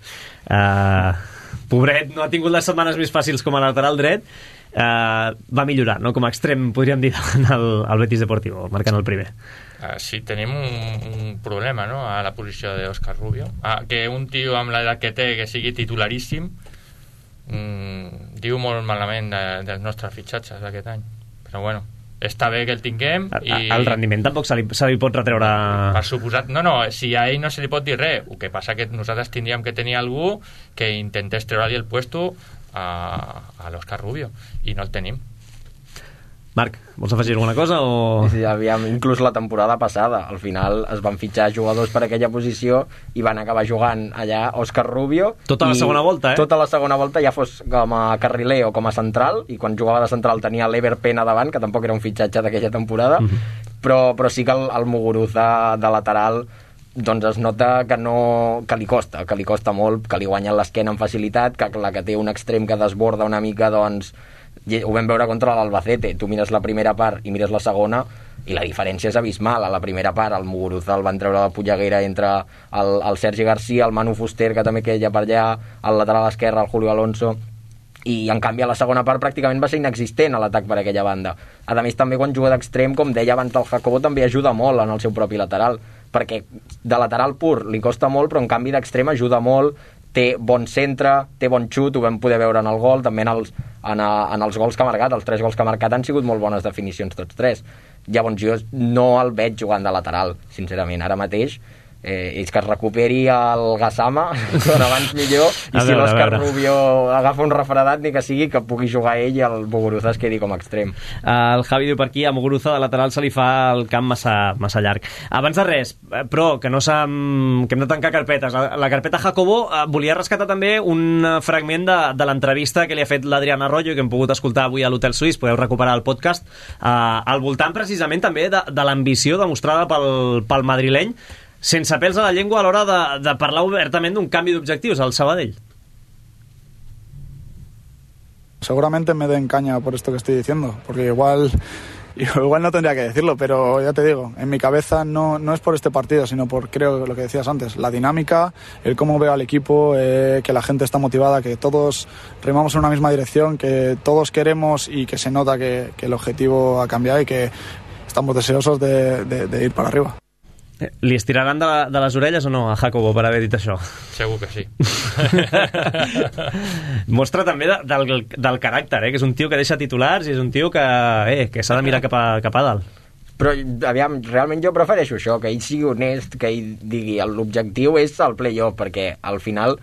Pobret, no ha tingut les setmanes més fàcils com a lateral dret. Va millorar, no? Com a extrem, podríem dir, al Betis Deportivo, marcant el primer. Sí, tenim un problema, no?, a la posició d'Òscar Rubio. Que un tio amb l'edat que té, que sigui titularíssim, diu molt malament dels nostres fitxatges d'aquest any. Però bueno, està bé que el tinguem i... El rendiment tampoc se li pot retreure... Per suposat, no, si a ell no se li pot dir res. El que passa que nosaltres tindríem que tenir algú que intentés treure-li el puesto a l'Òscar Rubio, i no el tenim. Marc, vols afegir alguna cosa? O... Sí, aviam, inclús la temporada passada al final es van fitxar jugadors per aquella posició i van acabar jugant allà Òscar Rubio tota la segona volta, tota la segona volta, ja fos com a carriler o com a central, i quan jugava de central tenia l'Ever Pena davant, que tampoc era un fitxatge d'aquella temporada, però sí que el Muguruza de lateral doncs es nota que li costa molt, que li guanyen l'esquena amb facilitat, que la que té un extrem que desborda una mica, doncs ho vam veure contra l'Albacete. Tu mires la primera part i mires la segona i la diferència és abismal. A la primera part el Muguruza el van treure de la polleguera entre el Sergi Garcia, el Manu Fuster, que també queia per allà, el lateral esquerre, el Julio Alonso, i en canvi a la segona part pràcticament va ser inexistent a l'atac per aquella banda. A més, també quan juga d'extrem, com deia abans el Jacobo, també ajuda molt en el seu propi lateral, perquè de lateral pur li costa molt, però en canvi d'extrem ajuda molt, té bon centre, té bon xut, ho vam poder veure en el gol, també en els gols que ha marcat. Els 3 gols que ha marcat han sigut molt bones definicions tots 3. Llavors jo no el veig jugant de lateral, sincerament, ara mateix. És que es recuperi el Gassama com abans millor, i si l'Òscar Rubio agafa un refredat, ni que sigui, que pugui jugar ell i el Muguruza es quedi com a extrem. El Javi diu per aquí, a Muguruza de lateral se li fa el camp massa llarg. Abans de res, però que no que hem de tancar carpetes, la carpeta Jacobo volia rescatar també un fragment de l'entrevista que li ha fet l'Adrián Arroyo, que hem pogut escoltar avui a l'Hotel Suís, podeu recuperar el podcast, al voltant precisament també de l'ambició demostrada pel madrileny, sense pèls a la llengua a l'hora de parlar obertament d'un canvi d'objectius al Sabadell. Seguramente me den caña por esto que estoy diciendo, porque igual no tendría que decirlo, pero ya te digo, en mi cabeza no es por este partido, sino por, creo, lo que decías antes, la dinámica, el cómo veo al equipo, que la gente está motivada, que todos remamos en una misma dirección, que todos queremos y que se nota que el objetivo ha cambiado y que estamos deseosos de ir para arriba. Li estiraran de les orelles o no a Jacobo per haver dit això? Segur que sí. Mostra també del caràcter, que és un tio que deixa titulars i és un tio que s'ha de mirar cap a dalt. Però, aviam, realment jo prefereixo això, que ell sigui honest, que ell digui l'objectiu és el play-off, perquè al final,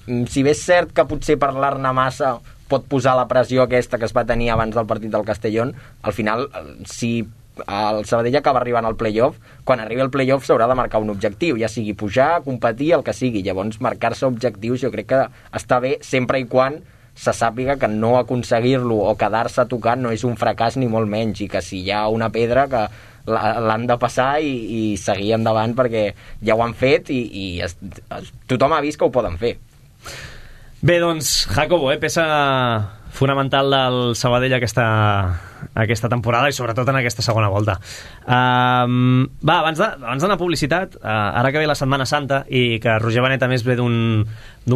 si bé és cert que potser parlar-ne massa pot posar la pressió aquesta que es va tenir abans del partit del Castellón, al final, si el Sabadell acaba arribant al play-off, quan arribi al play-off s'haurà de marcar un objectiu, ja sigui pujar, competir, el que sigui. Llavors marcar-se objectius jo crec que està bé sempre i quan se sàpiga que no aconseguir-lo o quedar-se tocant no és un fracàs ni molt menys, i que si hi ha una pedra que l'han de passar i seguir endavant, perquè ja ho han fet i tothom ha vist que ho poden fer. Bé, doncs, Jacobo, peça fonamental del Sabadell aquesta temporada i sobretot en aquesta segona volta. Abans d'anar a publicitat, ara que ve la Setmana Santa i que Roger Benet a més ve d'un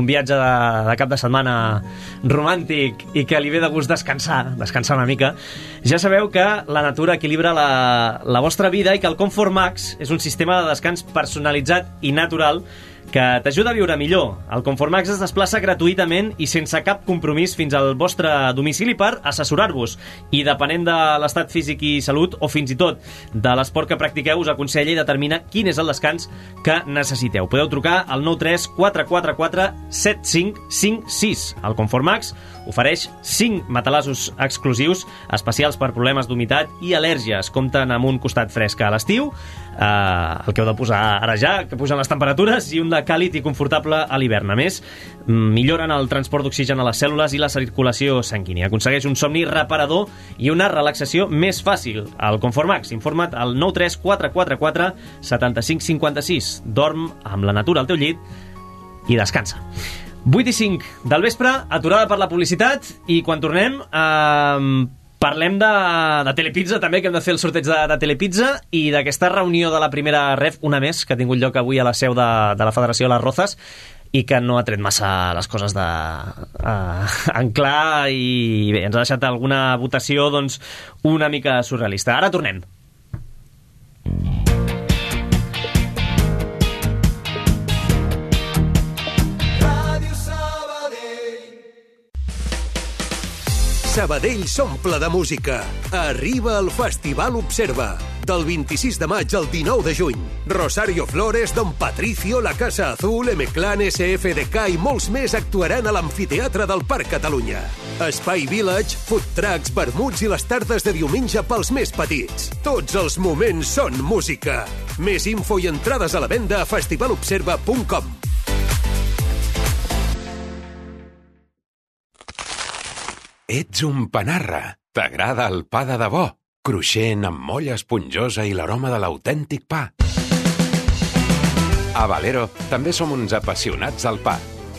viatge de cap de setmana romàntic i que li ve de gust descansar una mica, ja sabeu que la natura equilibra la vostra vida i que el Comfort Max és un sistema de descans personalitzat i natural que t'ajuda a viure millor. El Comfort Max es desplaça gratuïtament i sense cap compromís fins al vostre domicili per assessorar-vos i depenent de l'estat físic i salut o fins i tot de l'esport que practiqueu us aconsella i determina quin és el descans que necessiteu. Podeu trucar al 93 444 7556. El Comfort Max ofereix 5 matalassos exclusius especials per problemes d'humitat i al·lèrgies. Compten amb un costat fresc a l'estiu, el que heu de posar ara ja, que pugen les temperatures, i un de càlid i confortable a l'hivern. A més, milloren el transport d'oxigen a les cèl·lules i la circulació sanguínia. Aconsegueix un somni reparador i una relaxació més fàcil. El Comfort Max, informa't al 93 444 7556. Dorm amb la natura al teu llit i descansa. 8 i 5 del vespre, aturada per la publicitat, i quan tornem parlem de Telepizza també, que hem de fer el sorteig de Telepizza i d'aquesta reunió de la primera ref, una més, que ha tingut lloc avui a la seu de la Federació de les Rozas i que no ha tret massa les coses en clar i bé, ens ha deixat alguna votació doncs una mica surrealista. Ara tornem. Sabadell s'omple de música. Arriba el Festival Observa. Del 26 de maig al 19 de juny. Rosario Flores, Don Patricio, La Casa Azul, M-Clan, SFDK i molts més actuaran a l'Amfiteatre del Parc Catalunya. Espai Village, food trucks, vermuts i les tardes de diumenge pels més petits. Tots els moments són música. Més info i entrades a la venda a festivalobserva.com. Ets un panarra. T'agrada el pa de debò, cruixent amb molla esponjosa i l'aroma de l'autèntic pa. A Valero també som uns apassionats del pa.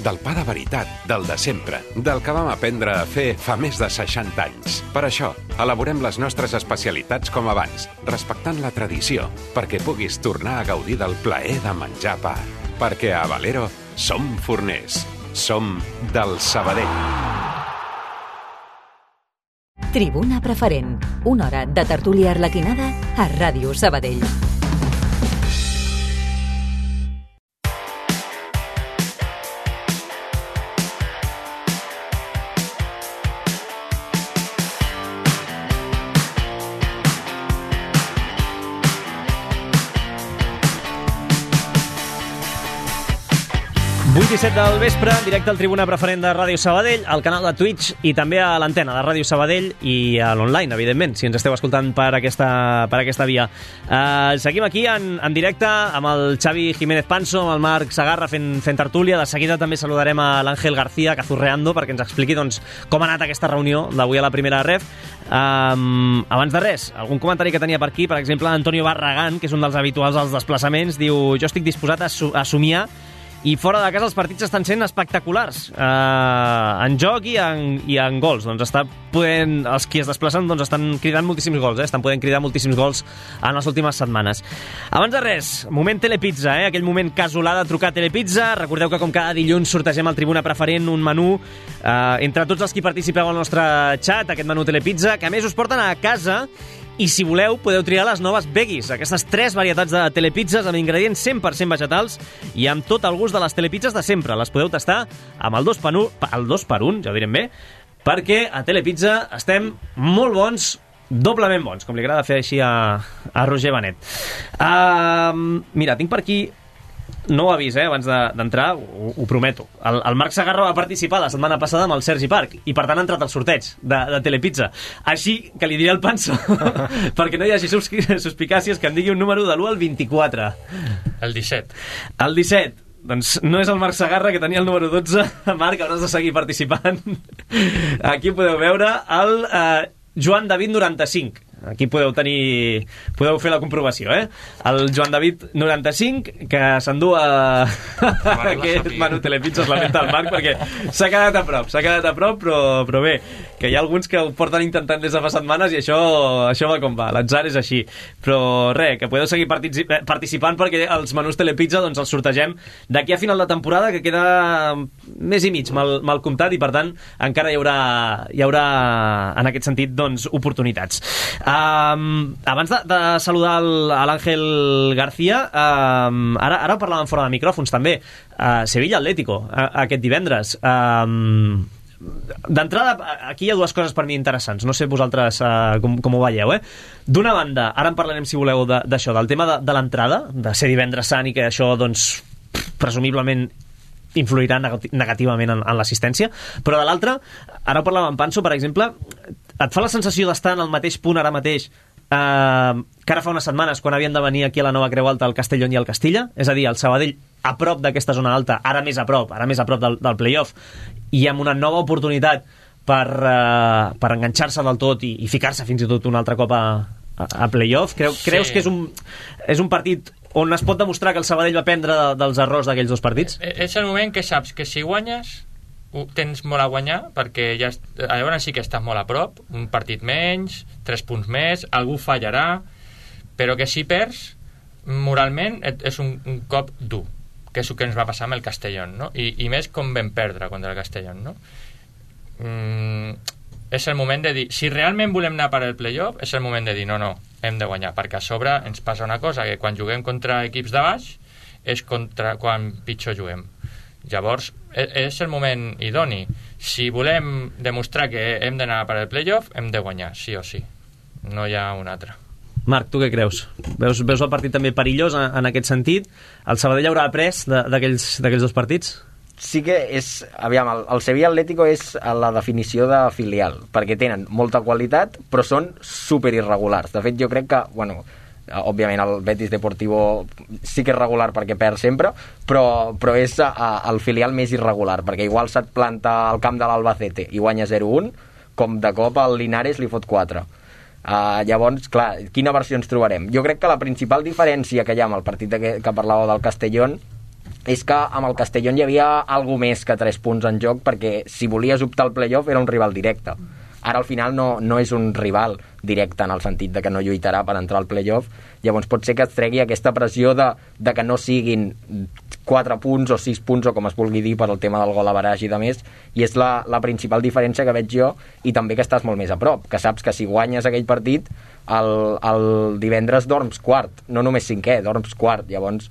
Del pa de veritat, del de sempre, del que vam aprendre a fer fa més de 60 anys. Per això, elaborem les nostres especialitats com abans, respectant la tradició, perquè puguis tornar a gaudir del plaer de menjar pa. Perquè a Valero som forners. Som del Sabadell. Tribuna Preferent, una hora de tertúlia arlequinada a Ràdio Sabadell. i 7 del vespre, directe al Tribuna Preferent de Ràdio Sabadell, al canal de Twitch i també a l'antena de Ràdio Sabadell i a l'online, evidentment, si ens esteu escoltant per aquesta via. Seguim aquí en directe amb el Xavi Jiménez Panso, amb el Marc Sagarra fent tertúlia. De seguida també saludarem a l'Àngel García Cazurreando perquè ens expliqui doncs, com ha anat aquesta reunió d'avui a la primera ref. Abans de res, algun comentari que tenia per aquí, per exemple, Antonio Barragán, que és un dels habituals als desplaçaments, diu: jo estic disposat a somiar i fora de casa els partits estan sent espectaculars en joc i en gols. Doncs els qui es desplacen doncs estan cridant moltíssims gols, estan podent cridar moltíssims gols en les últimes setmanes. Abans de res, moment Telepizza, aquell moment casolà de trucar a Telepizza. Recordeu que com cada dilluns sortegem al Tribuna Preferent un menú entre tots els qui participeu al nostre xat, aquest menú Telepizza, que a més us porten a casa. I si voleu, podeu triar les noves veggies, aquestes 3 varietats de telepizzas amb ingredients 100% vegetals i amb tot el gust de les telepizzas de sempre. Les podeu tastar amb el 2x1, ja ho direm bé, perquè a Telepizza estem molt bons, doblement bons, com li agrada fer així a Roger Benet. Mira, tinc per aquí... No ho ha vist, abans d'entrar, ho prometo. El Marc Sagarra va participar la setmana passada amb el Sergi Parc i per tant ha entrat al sorteig de Telepizza. Així que li diré al Panso perquè no hi hagi suspicàcies, que em digui un número de l'1 al 24. El 17. El 17. Doncs no és el Marc Sagarra, que tenia el número 12. Marc, hauràs de seguir participant. Aquí podeu veure el Joan David 95. aquí podeu fer la comprovació, el Joan David 95, que s'endú aquest menú Telepizza, es lamenta el Marc, perquè s'ha quedat a prop, però bé, que hi ha alguns que ho porten intentant des de fa setmanes i això va com va, l'atzar és així. Però res, que podeu seguir participant, perquè els menús Telepizza doncs els sortegem d'aquí a final de temporada, que queda mes i mig mal comptat, i per tant encara hi haurà en aquest sentit doncs oportunitats. Abans de saludar l'Àngel García, ara parlàvem fora de micròfons també, Sevilla Atlético aquest divendres. D'entrada, aquí hi ha dues coses per mi interessants, no sé vosaltres com ho veieu, D'una banda, ara en parlarem si voleu d'això, del tema de l'entrada, de ser divendres sant, i que això doncs presumiblement influirà negativament en l'assistència, però de l'altra, ara parlàvem amb Panso, per exemple, et fa la sensació d'estar en el mateix punt ara mateix que ara fa unes setmanes, quan havien de venir aquí a la Nova Creu Alta el Castellón i el Castilla, és a dir, el Sabadell a prop d'aquesta zona alta, ara més a prop del play-off, i amb una nova oportunitat per enganxar-se del tot i ficar-se fins i tot un altre cop a play-off. Creus que és un partit on es pot demostrar que el Sabadell va aprendre dels errors d'aquells dos partits? És el moment que saps que si guanyes tens molt a guanyar, perquè llavors sí que estàs molt a prop, un partit menys, 3 punts més, algú fallarà, però que si perds moralment és un cop dur, que és el que ens va passar amb el Castellón, no? I més com vam perdre contra el Castellón, no? És el moment de dir, si realment volem anar per al playoff, és el moment de dir, no, hem de guanyar, perquè a sobre ens passa una cosa, que quan juguem contra equips de baix és quan pitjor juguem. Llavors és el moment idoni. Si volem demostrar que hem d'anar per al playoff, hem de guanyar, sí o sí, no hi ha un altre. Marc, tu què creus? Veus el partit també perillós en aquest sentit? El Sabadell haurà après d'aquells dos partits? Sí que és... Aviam, el Sevilla Atlético és la definició de filial, perquè tenen molta qualitat, però són superirregulars. De fet, jo crec que, bueno, òbviament el Betis Deportivo sí que és regular perquè perd sempre, però és el filial més irregular, perquè igual se't planta al camp de l'Albacete i guanya 0-1, com de cop el Linares li fot 4. Llavors, clar, quina versió ens trobarem? Jo crec que la principal diferència que hi ha amb el partit que parlàveu del Castellón és que amb el Castellón hi havia alguna més que 3 punts en joc, perquè si volies optar al playoff era un rival directe. Ara al final no és un rival directe en el sentit de que no lluitarà per entrar al playoff, llavors pot ser que es tregui aquesta pressió de que no siguin 4 punts o 6 punts o com es vulgui dir per al tema del gol average i de més, i és la principal diferència que veig jo, i també que estàs molt més a prop, que saps que si guanyes aquell partit el divendres dorms quart, no només cinquè, dorms quart, llavors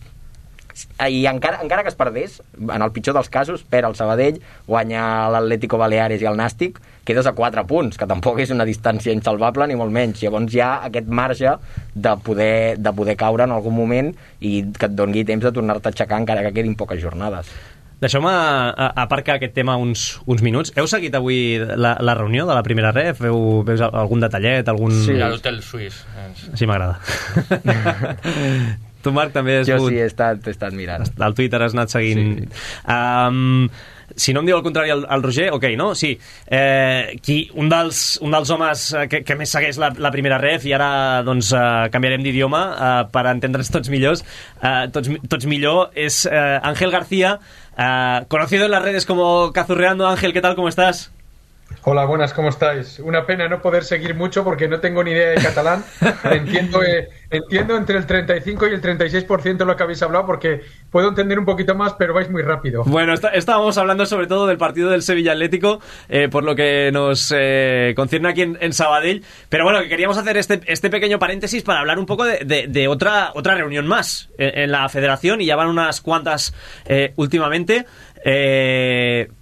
i encara que es perdés, en el pitjor dels casos perd el Sabadell, guanya l'Atlético Baleares i el Nàstic, quedes a 4 punts, que tampoc és una distància insalvable ni molt menys, llavors hi ha aquest marge de poder caure en algun moment i que et doni temps de tornar-te a aixecar encara que quedin poques jornades. Deixeu-me aparcar aquest tema uns minuts. Heu seguit avui la reunió de la primera ref? Veus algun detallet? Sí, a l'hotel suís. Així m'agrada. Tu, Marc, també has Jo sí, he estat mirant. Al Twitter has anat seguint. Sí. Si no em diu el contrari el Roger, ok, no? Sí. Un dels homes que més segueix la primera ref, i ara doncs canviarem d'idioma per entendre'ns tots millor, és Ángel García, conocido en las redes como Cazurreando. Ángel, ¿qué tal? ¿Cómo estás? Hola, buenas, ¿cómo estáis? Una pena no poder seguir mucho porque no tengo ni idea de catalán. Entiendo entre el 35 y el 36% lo que habéis hablado, porque puedo entender un poquito más, pero vais muy rápido. Bueno, estábamos hablando sobre todo del partido del Sevilla Atlético, por lo que nos concierne aquí en Sabadell, pero bueno, que queríamos hacer este pequeño paréntesis para hablar un poco de otra reunión más en la federación, y ya van unas cuantas últimamente,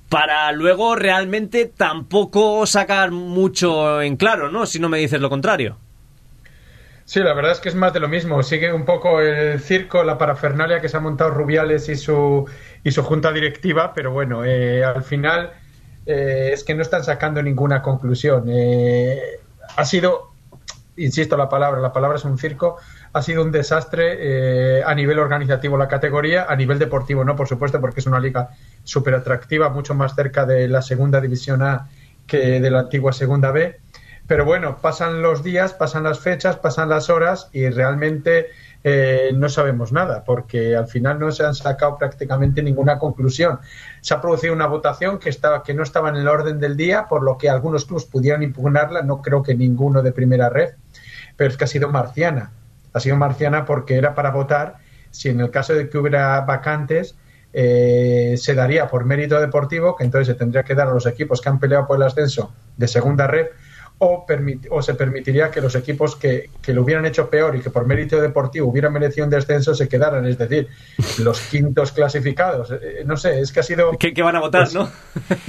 para luego realmente tampoco sacar mucho en claro, ¿no? Si no me dices lo contrario. Sí, la verdad es que es más de lo mismo. Sigue un poco el circo, la parafernalia que se ha montado Rubiales y su junta directiva, pero bueno, al final es que no están sacando ninguna conclusión. Ha sido, insisto, la palabra es un circo. Ha sido un desastre a nivel organizativo la categoría, a nivel deportivo no, por supuesto, porque es una liga súper atractiva, mucho más cerca de la segunda división A que de la antigua segunda B. Pero bueno, pasan los días, pasan las fechas, pasan las horas y realmente no sabemos nada, porque al final no se han sacado prácticamente ninguna conclusión. Se ha producido una votación que no estaba en el orden del día, por lo que algunos clubes pudieron impugnarla, no creo que ninguno de primera red, pero es que ha sido marciana. Ha sido marciana porque era para votar si en el caso de que hubiera vacantes se daría por mérito deportivo, que entonces se tendría que dar a los equipos que han peleado por el ascenso de segunda red, o se permitiría que los equipos que lo hubieran hecho peor y que por mérito deportivo hubieran merecido un descenso se quedaran, es decir, los quintos clasificados. No sé, es que ha sido... ¿Qué van a votar, pues, no?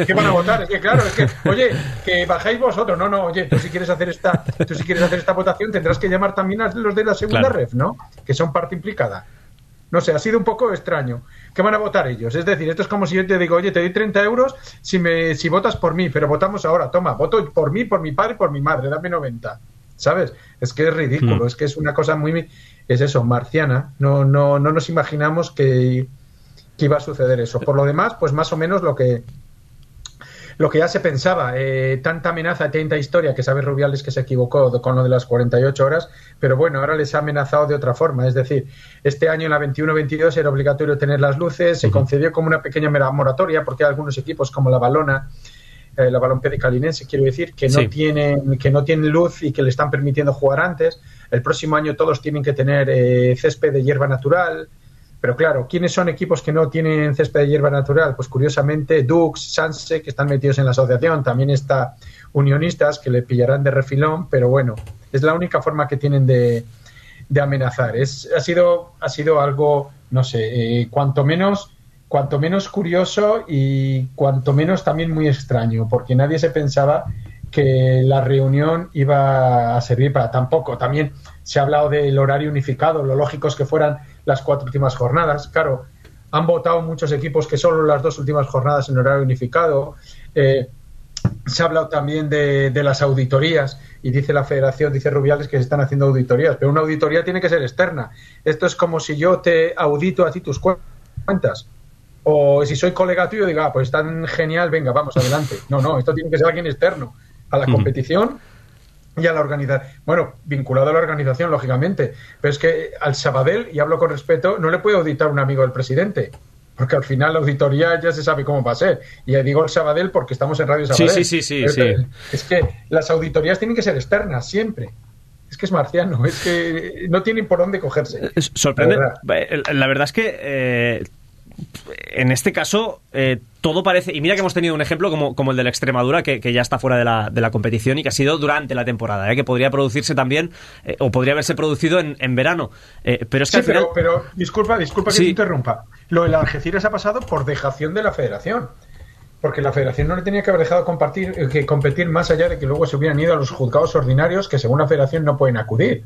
¿Qué van a votar? Es que claro, es que, oye, que bajáis vosotros. No, oye, tú si quieres hacer esta votación tendrás que llamar también a los de la segunda ref, ¿no? Que son parte implicada. No sé, ha sido un poco extraño. ¿Qué van a votar ellos? Es decir, esto es como si yo te digo, oye, te doy 30 euros si votas por mí, pero votamos ahora, toma, voto por mí, por mi padre, por mi madre, dame 90. ¿Sabes? Es que es ridículo, es que es una cosa muy... Es eso, marciana. No nos imaginamos que iba a suceder eso. Por lo demás, pues más o menos lo que ya se pensaba, tanta amenaza, tanta historia, que sabe Rubiales que se equivocó con lo de las 48 horas, pero bueno, ahora les ha amenazado de otra forma, es decir, este año en la 21-22 era obligatorio tener las luces, se concedió como una pequeña moratoria, porque hay algunos equipos como la Balompié Calinense, quiero decir, que no tienen luz y que le están permitiendo jugar antes. El próximo año todos tienen que tener césped de hierba natural. Pero claro, ¿quiénes son equipos que no tienen césped de hierba natural? Pues curiosamente Dux, Sanse, que están metidos en la asociación, también está Unionistas, que le pillarán de refilón, pero bueno, es la única forma que tienen de amenazar. Ha sido algo, no sé, cuanto menos curioso y cuanto menos también muy extraño, porque nadie se pensaba que la reunión iba a servir para tan poco. También se ha hablado del horario unificado, lo lógico es que fueran las 4 últimas jornadas. Claro, han votado muchos equipos que solo las 2 últimas jornadas en horario unificado. Se ha hablado también de las auditorías y dice la federación, dice Rubiales, que se están haciendo auditorías, pero una auditoría tiene que ser externa. Esto es como si yo te audito a ti tus cuentas, o si soy colega tuyo digo, pues tan genial, venga, vamos, adelante. No, esto tiene que ser alguien externo a la competición y a la organización. Bueno, vinculado a la organización, lógicamente, pero es que al Sabadell, y hablo con respeto, no le puede auditar un amigo del presidente, porque al final la auditoría ya se sabe cómo va a ser. Y digo el Sabadell porque estamos en Radio Sabadell. Sí. Es que las auditorías tienen que ser externas, siempre. Es que es marciano, es que no tienen por dónde cogerse. Sorprende. La verdad es que... en este caso todo parece, y mira que hemos tenido un ejemplo como el de la Extremadura, que ya está fuera de la competición y que ha sido durante la temporada, que podría producirse también o podría haberse producido en verano, pero es que sí, al final... pero disculpa que te interrumpa. Lo del Algeciras ha pasado por dejación de la federación, porque la federación no le tenía que haber dejado competir más allá de que luego se hubieran ido a los juzgados ordinarios, que según la federación no pueden acudir.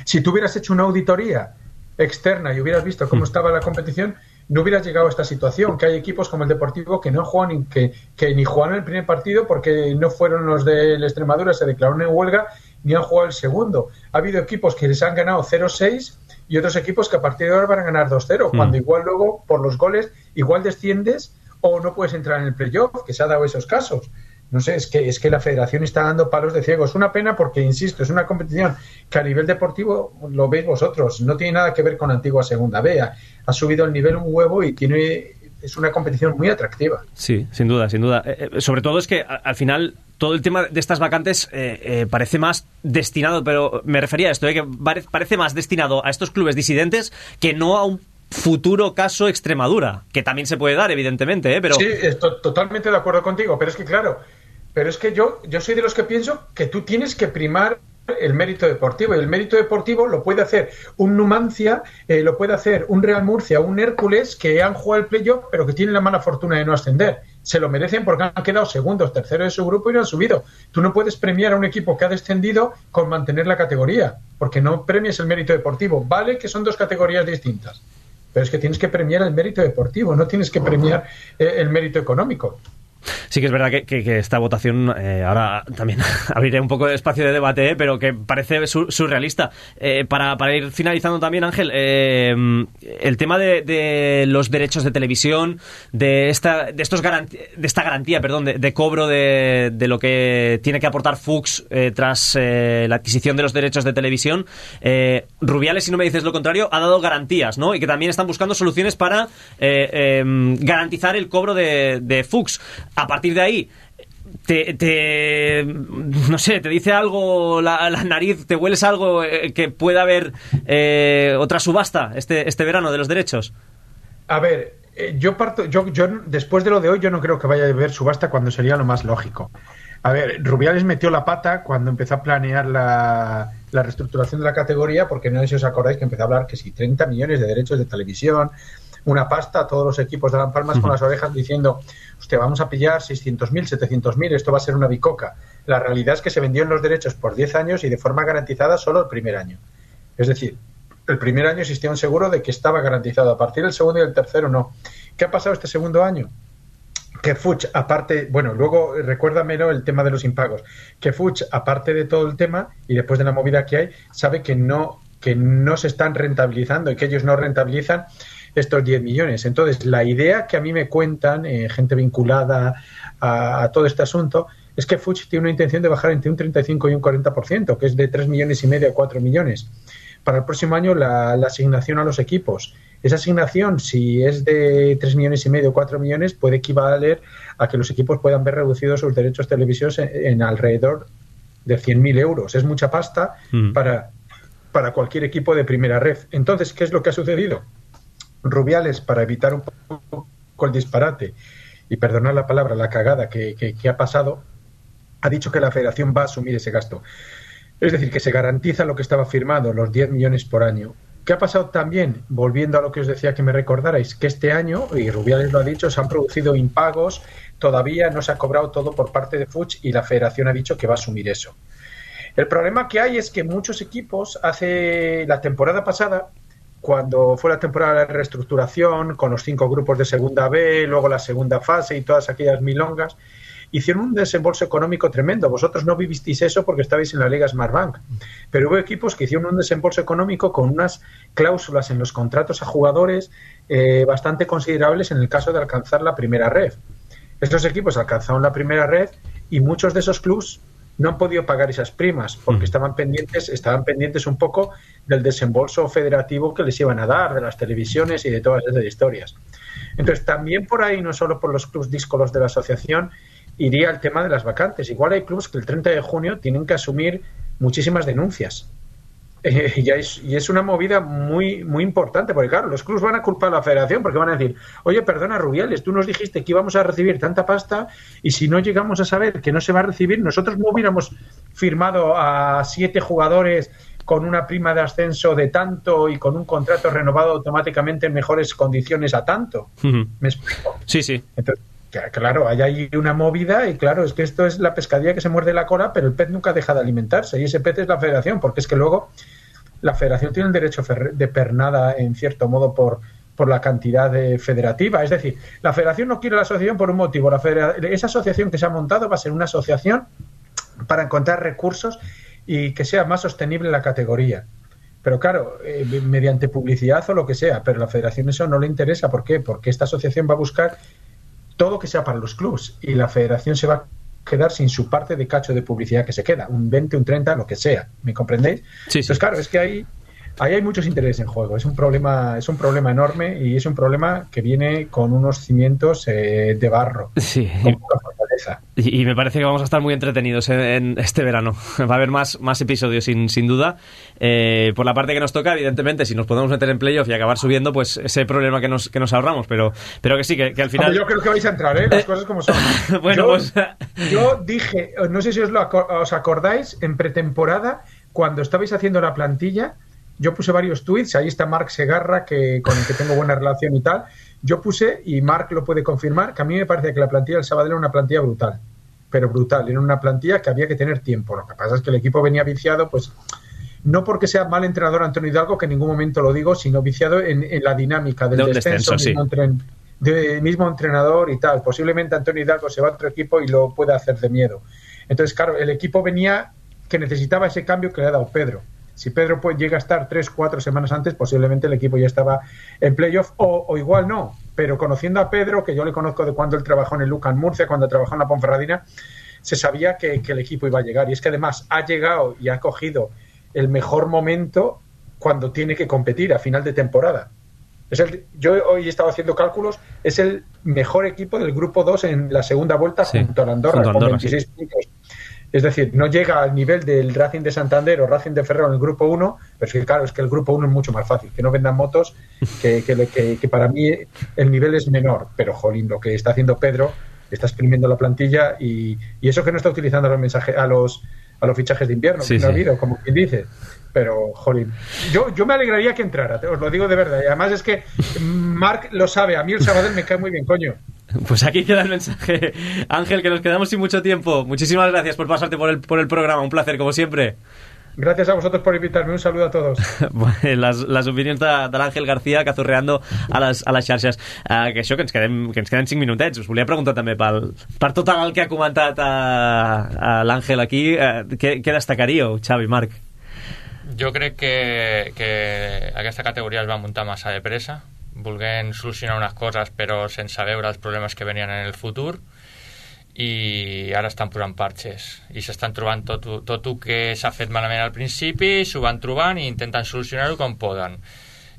Si tú hubieras hecho una auditoría externa y hubieras visto cómo estaba la competición, no hubieras llegado a esta situación, que hay equipos como el Deportivo que no juegan, que ni jugaron el primer partido porque no fueron los de la Extremadura, se declararon en huelga, ni han jugado el segundo. Ha habido equipos que les han ganado 0-6 y otros equipos que a partir de ahora van a ganar 2-0, cuando igual luego, por los goles, igual desciendes o no puedes entrar en el playoff, que se ha dado esos casos. No sé, es que la federación está dando palos de ciego. Es una pena porque, insisto, es una competición que a nivel deportivo, lo veis vosotros, no tiene nada que ver con antigua segunda B. Ha subido el nivel un huevo y es una competición muy atractiva. Sí, sin duda. Sobre todo es que al final todo el tema de estas vacantes parece más destinado, pero me refería a esto, que parece más destinado a estos clubes disidentes que no a un futuro caso Extremadura, que también se puede dar, evidentemente, pero... Sí, estoy totalmente de acuerdo contigo, pero es que claro, yo soy de los que pienso que tú tienes que primar el mérito deportivo, y el mérito deportivo lo puede hacer un Numancia, lo puede hacer un Real Murcia, un Hércules, que han jugado el playoff, pero que tienen la mala fortuna de no ascender. Se lo merecen porque han quedado segundos, terceros de su grupo y no han subido. Tú no puedes premiar a un equipo que ha descendido con mantener la categoría, porque no premias el mérito deportivo. Vale que son 2 categorías distintas, pero es que tienes que premiar el mérito deportivo, no tienes que premiar el mérito económico. Sí que es verdad que esta votación, ahora también abriré un poco de espacio de debate, pero que parece surrealista. Para ir finalizando también, Ángel, el tema de los derechos de televisión, de esta garantía, de cobro de lo que tiene que aportar Fuchs tras la adquisición de los derechos de televisión. Rubiales, si no me dices lo contrario, ha dado garantías, ¿no? Y que también están buscando soluciones para garantizar el cobro de Fuchs. A partir de ahí, no sé, te dice algo la nariz, te hueles algo que pueda haber otra subasta este verano de los derechos. A ver, yo después de lo de hoy, yo no creo que vaya a haber subasta cuando sería lo más lógico. A ver, Rubiales metió la pata cuando empezó a planear la reestructuración de la categoría, porque no sé si os acordáis que empezó a hablar que si 30 millones de derechos de televisión, una pasta a todos los equipos daban palmas con las orejas diciendo, hostia, vamos a pillar 600.000, 700.000, esto va a ser una bicoca. La realidad es que se vendieron los derechos por 10 años y de forma garantizada solo el primer año. Es decir, el primer año existía un seguro de que estaba garantizado, a partir del segundo y el tercero no. ¿Qué ha pasado este segundo año? Que Fuchs, aparte, bueno, luego recuérdamelo el tema de los impagos, que Fuchs, aparte de todo el tema y después de la movida que hay, sabe que no se están rentabilizando y que ellos no rentabilizan estos 10 millones. Entonces, la idea que a mí me cuentan, gente vinculada a todo este asunto, es que Fuchs tiene una intención de bajar entre un 35 y un 40%, que es de 3,5 millones a 4 millones. Para el próximo año, la asignación a los equipos. Esa asignación, si es de 3,5 millones o 4 millones, puede equivaler a que los equipos puedan ver reducidos sus derechos televisivos en alrededor de 100.000 euros. Es mucha pasta para cualquier equipo de primera red. Entonces, ¿qué es lo que ha sucedido? Rubiales, para evitar un poco el disparate y perdonar la palabra, la cagada que ha pasado, ha dicho que la federación va a asumir ese gasto. Es decir, que se garantiza lo que estaba firmado, los 10 millones por año. ¿Qué ha pasado también? Volviendo a lo que os decía que me recordarais, que este año, y Rubiales lo ha dicho, se han producido impagos, todavía no se ha cobrado todo por parte de Fuchs y la federación ha dicho que va a asumir eso. El problema que hay es que muchos equipos, hace la temporada pasada, cuando fue la temporada de reestructuración, con los 5 grupos de segunda B, luego la segunda fase y todas aquellas milongas, hicieron un desembolso económico tremendo. Vosotros no vivisteis eso porque estabais en la Liga Smartbank, pero hubo equipos que hicieron un desembolso económico con unas cláusulas en los contratos a jugadores bastante considerables en el caso de alcanzar la primera red. Estos equipos alcanzaron la primera red y muchos de esos clubs no han podido pagar esas primas porque estaban pendientes un poco del desembolso federativo que les iban a dar, de las televisiones y de todas esas historias. Entonces, también por ahí, no solo por los clubs díscolos de la asociación, iría el tema de las vacantes. Igual hay clubs que el 30 de junio tienen que asumir muchísimas denuncias. Y es una movida muy, muy importante, porque claro, los clubs van a culpar a la federación porque van a decir, oye, perdona Rubiales, tú nos dijiste que íbamos a recibir tanta pasta y si no llegamos a saber que no se va a recibir, nosotros no hubiéramos firmado a 7 jugadores con una prima de ascenso de tanto y con un contrato renovado automáticamente en mejores condiciones a tanto. ¿Me explico? Sí, sí. Entonces, claro, hay ahí una movida y claro, es que esto es la pescadilla que se muerde la cola, pero el pez nunca deja de alimentarse y ese pez es la federación, porque es que luego la federación tiene el derecho de pernada en cierto modo por la cantidad federativa. Es decir, la federación no quiere la asociación por un motivo. Esa asociación que se ha montado va a ser una asociación para encontrar recursos y que sea más sostenible la categoría. Pero claro, mediante publicidad o lo que sea, pero a la federación eso no le interesa. ¿Por qué? Porque esta asociación va a buscar todo que sea para los clubs y la federación se va a quedar sin su parte de cacho de publicidad que se queda, un 20, un 30, lo que sea. ¿Me comprendéis? Sí. Entonces, claro, es que ahí hay muchos intereses en juego. Es un problema enorme y es un problema que viene con unos cimientos de barro. Sí. Con poca fortaleza. Y me parece que vamos a estar muy entretenidos en este verano. Va a haber más episodios sin duda. Por la parte que nos toca, evidentemente, si nos podemos meter en playoff y acabar subiendo, pues ese problema que nos ahorramos. Pero que sí, que al final... Yo creo que vais a entrar, las cosas como son. Bueno, yo dije, no sé si os acordáis, en pretemporada, cuando estabais haciendo la plantilla, yo puse varios tweets, ahí está Marc Segarra, con el que tengo buena relación y tal. Yo puse, y Marc lo puede confirmar, que a mí me parecía que la plantilla del Sabadell era una plantilla brutal. Pero brutal, era una plantilla que había que tener tiempo. Lo que pasa es que el equipo venía viciado, pues no porque sea mal entrenador Antonio Hidalgo, que en ningún momento lo digo, sino viciado en la dinámica del descenso. Sí. mismo entrenador y tal. Posiblemente Antonio Hidalgo se va a otro equipo y lo pueda hacer de miedo. Entonces, claro, el equipo venía que necesitaba ese cambio que le ha dado Pedro. Si Pedro llega a estar 3-4 semanas antes, posiblemente el equipo ya estaba en playoff, o igual no. Pero conociendo a Pedro, que yo le conozco de cuando él trabajó en el Lucan Murcia, cuando trabajó en la Ponferradina, se sabía que el equipo iba a llegar. Y es que además ha llegado y ha cogido el mejor momento cuando tiene que competir a final de temporada. Yo hoy he estado haciendo cálculos, es el mejor equipo del grupo 2 en la segunda vuelta, sí, junto a Andorra, con 26 puntos. Es decir, no llega al nivel del Racing de Santander o Racing de Ferrol en el grupo 1, pero es que claro, es que el grupo 1 es mucho más fácil, que no vendan motos, que para mí el nivel es menor, pero jolín, lo que está haciendo Pedro, está exprimiendo la plantilla y eso que no está utilizando los mensajes a los fichajes de invierno, sí, que no ha habido, como quien dice. Pero, jolín, yo me alegraría que entrara, os lo digo de verdad. Y además es que Marc lo sabe, a mí el Sabadell me cae muy bien, coño. Pues aquí queda el mensaje. Ángel, que nos quedamos sin mucho tiempo. Muchísimas gracias por pasarte por el programa, un placer, como siempre. Gracias a vosotros por invitarme, un saludo a todos. Bueno, les opinions de l'Àngel García, cazurreando a les xarxes. Que això, que ens queden 5 minutets. Us volia preguntar també per tot el que ha comentat l'Àngel aquí, què destacaríeu, Xavi, Marc? Jo crec que aquesta categoria es va muntar massa de pressa, volent solucionar unes coses però sense veure els problemes que venien en el futur, i ara estan posant parxes i s'estan trobant tot el que s'ha fet malament al principi, s'ho van trobant i intenten solucionar-ho com poden.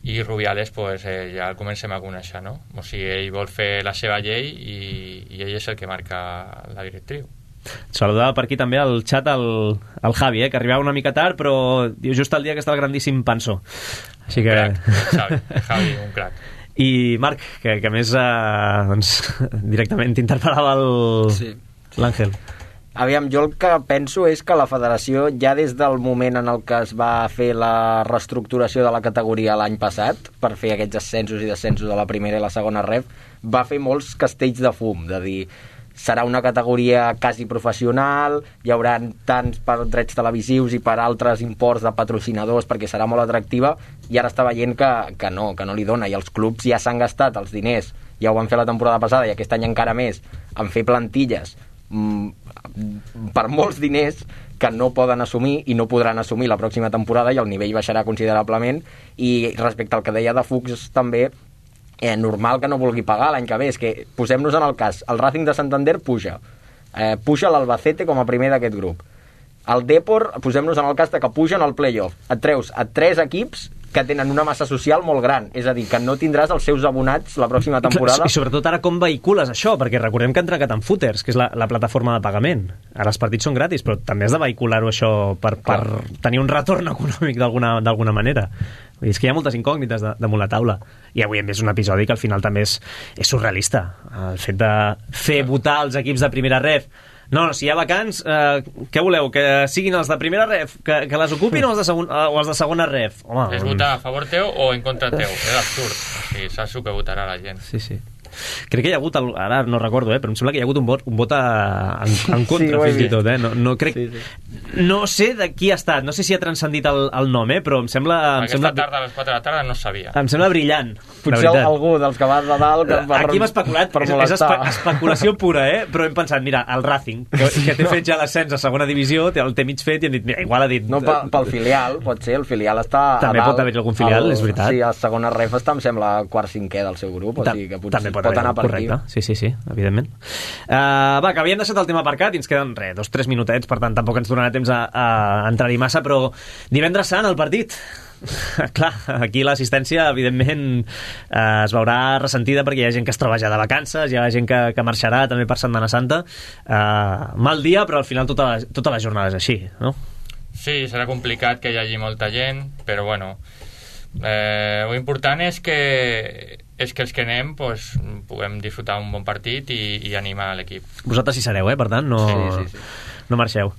I Rubiales pues, ja el comencem a conèixer, no? O sigui, ell vol fer la seva llei i ell és el que marca la directriu. Saludava per aquí també al xat el Javi, que arribava una mica tard, però diu just el dia que està el grandíssim Panso. Així que... Javi, un crac. I Marc, que a més doncs, directament t'interpel·lava l'Àngel. Aviam, jo el que penso és que la federació, ja des del moment en el que es va fer la reestructuració de la categoria l'any passat, per fer aquests ascensos i descensos de la primera i la segona ref, va fer molts castells de fum, de dir... serà una categoria quasi professional, hi haurà tants per drets televisius i per altres imports de patrocinadors perquè serà molt atractiva, i ara està veient que no li dona, i els clubs ja s'han gastat els diners, ja ho van fer la temporada passada i aquest any encara més, en fer plantilles per molts diners que no poden assumir i no podran assumir la pròxima temporada, i el nivell baixarà considerablement. I respecte al que deia de Fuchs també, normal que no vulgui pagar l'any que ve. És que posem-nos en el cas, el Racing de Santander puja l'Albacete com a primer d'aquest grup, el Depor, posem-nos en el cas de que pugen al playoff, et treus a 3 equips que tenen una massa social molt gran, és a dir, que no tindràs els seus abonats la pròxima temporada. I sobretot ara com vehicules això, perquè recordem que han trencat en Footers, que és la plataforma de pagament. Ara els partits són gratis, però també has de vehicular-ho això per tenir un retorn econòmic d'alguna manera. És que hi ha moltes incògnites damunt la taula, i avui hem vist un episodi que al final també és surrealista, el fet de fer votar els equips de primera ref. No, si hi ha vacants, què voleu? Que siguin els de primera ref, que les ocupin o els de segona ref? Home, és votar a favor teu o en contra teu, és absurd. O sigui, saps el que votarà la gent. Sí. Crec que hi ha hagut, ara no recordo, però em sembla que hi ha hagut un vot en contra, fins i tot. No crec... No sé de qui ha estat, no sé si ha transcendit el nom, però em sembla... Aquesta tarda, a les 4 de la tarda, no sabia. Em sembla brillant. Potser algú dels que va de dalt... Aquí hem especulat, és especulació pura, però hem pensat, mira, el Racing, que té fet ja l'ascens a segona divisió, el té mig fet, i hem dit, mira, igual ha dit... No, pel filial, pot ser, el filial està a dalt. També pot haver algun filial, és veritat. Sí, a segona ref està, em sembla, quart-cinquè del seu grup, o sigui que potser pot anar per aquí. Sí, evidentment. Va, que havíem deixat el tema aparcat i ens queden 2-3 minutets, per tant tampoc ens donarà temps a entrar-hi massa, però divendres sant el partit. Clar, aquí l'assistència evidentment es veurà ressentida perquè hi ha gent que es troba ja de vacances, hi ha gent que marxarà també per Setmana Santa. Mal dia, però al final tota la jornada és així, no? Sí, serà complicat que hi hagi molta gent, però bueno, lo important és que els que anem pues, puguem disfrutar un bon partit i animar l'equip. Vosaltres hi sereu, per tant no marxeu.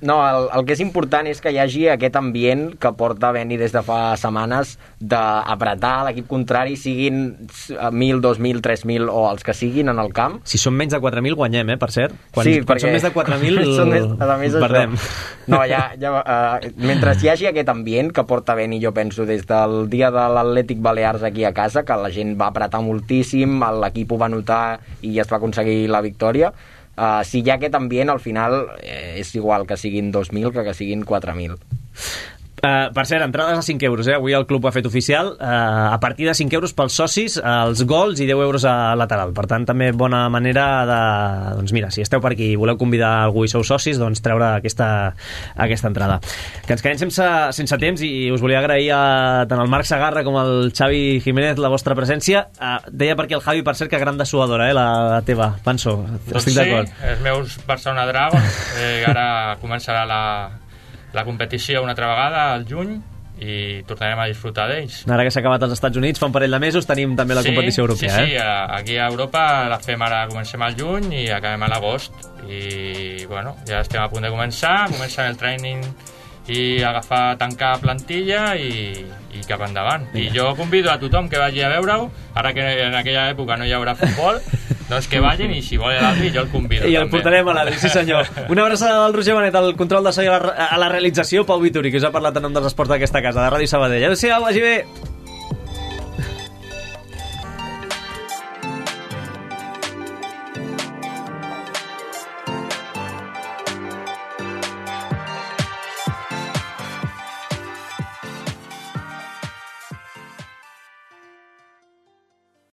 No, el que és important és que hi hagi aquest ambient que porta Beni des de fa setmanes d'apretar l'equip contrari, siguin 1.000, 2.000, 3.000 o els que siguin en el camp. Si són menys de 4.000 guanyem, per cert. Quan Perquè són més de 4.000 perdem. No, mentre hi hagi aquest ambient que porta Beni, jo penso, des del dia de l'Atlètic Balears aquí a casa, que la gent va apretar moltíssim, l'equip ho va notar i es va aconseguir la victòria. Si hi ha aquest ambient, al final és igual que siguin 2.000 que siguin 4.000. Per cert, entrades a 5 euros, avui el club ho ha fet oficial, a partir de 5 euros pels socis, els gols i 10 euros a lateral. Per tant, també bona manera de... Doncs mira, si esteu per aquí i voleu convidar algú i sou socis, doncs treure aquesta entrada. Que ens quedem sense temps i us volia agrair tant al Marc Sagarra com al Xavi Jiménez la vostra presència. Deia per aquí el Javi, per cert, que gran dessuadora, la teva, Panso. Estic d'acord. Sí, els meus Barcelona Dragons, ara començarà la competició una altra vegada al juny i tornarem a disfrutar d'ells. Ara que s'ha acabat als Estats Units, fa un parell de mesos tenim també la competició europea. Sí, aquí a Europa la fem ara, comencem al juny i acabem a l'agost i bueno, ja estem a punt de començar el training i tancar plantilla i cap endavant. I jo convido a tothom que vagi a veure-ho, ara que en aquella època no hi haurà futbol, doncs que vagin i si vol l'Adri jo el convido. I el portarem a l'Adri, sí senyor. Una abraçada del Roger Benet, el control de so a la realització, Pau Vituri, que us ha parlat en nom dels esports d'aquesta casa, de Ràdio Sabadell. Adéu-siau, vagi bé!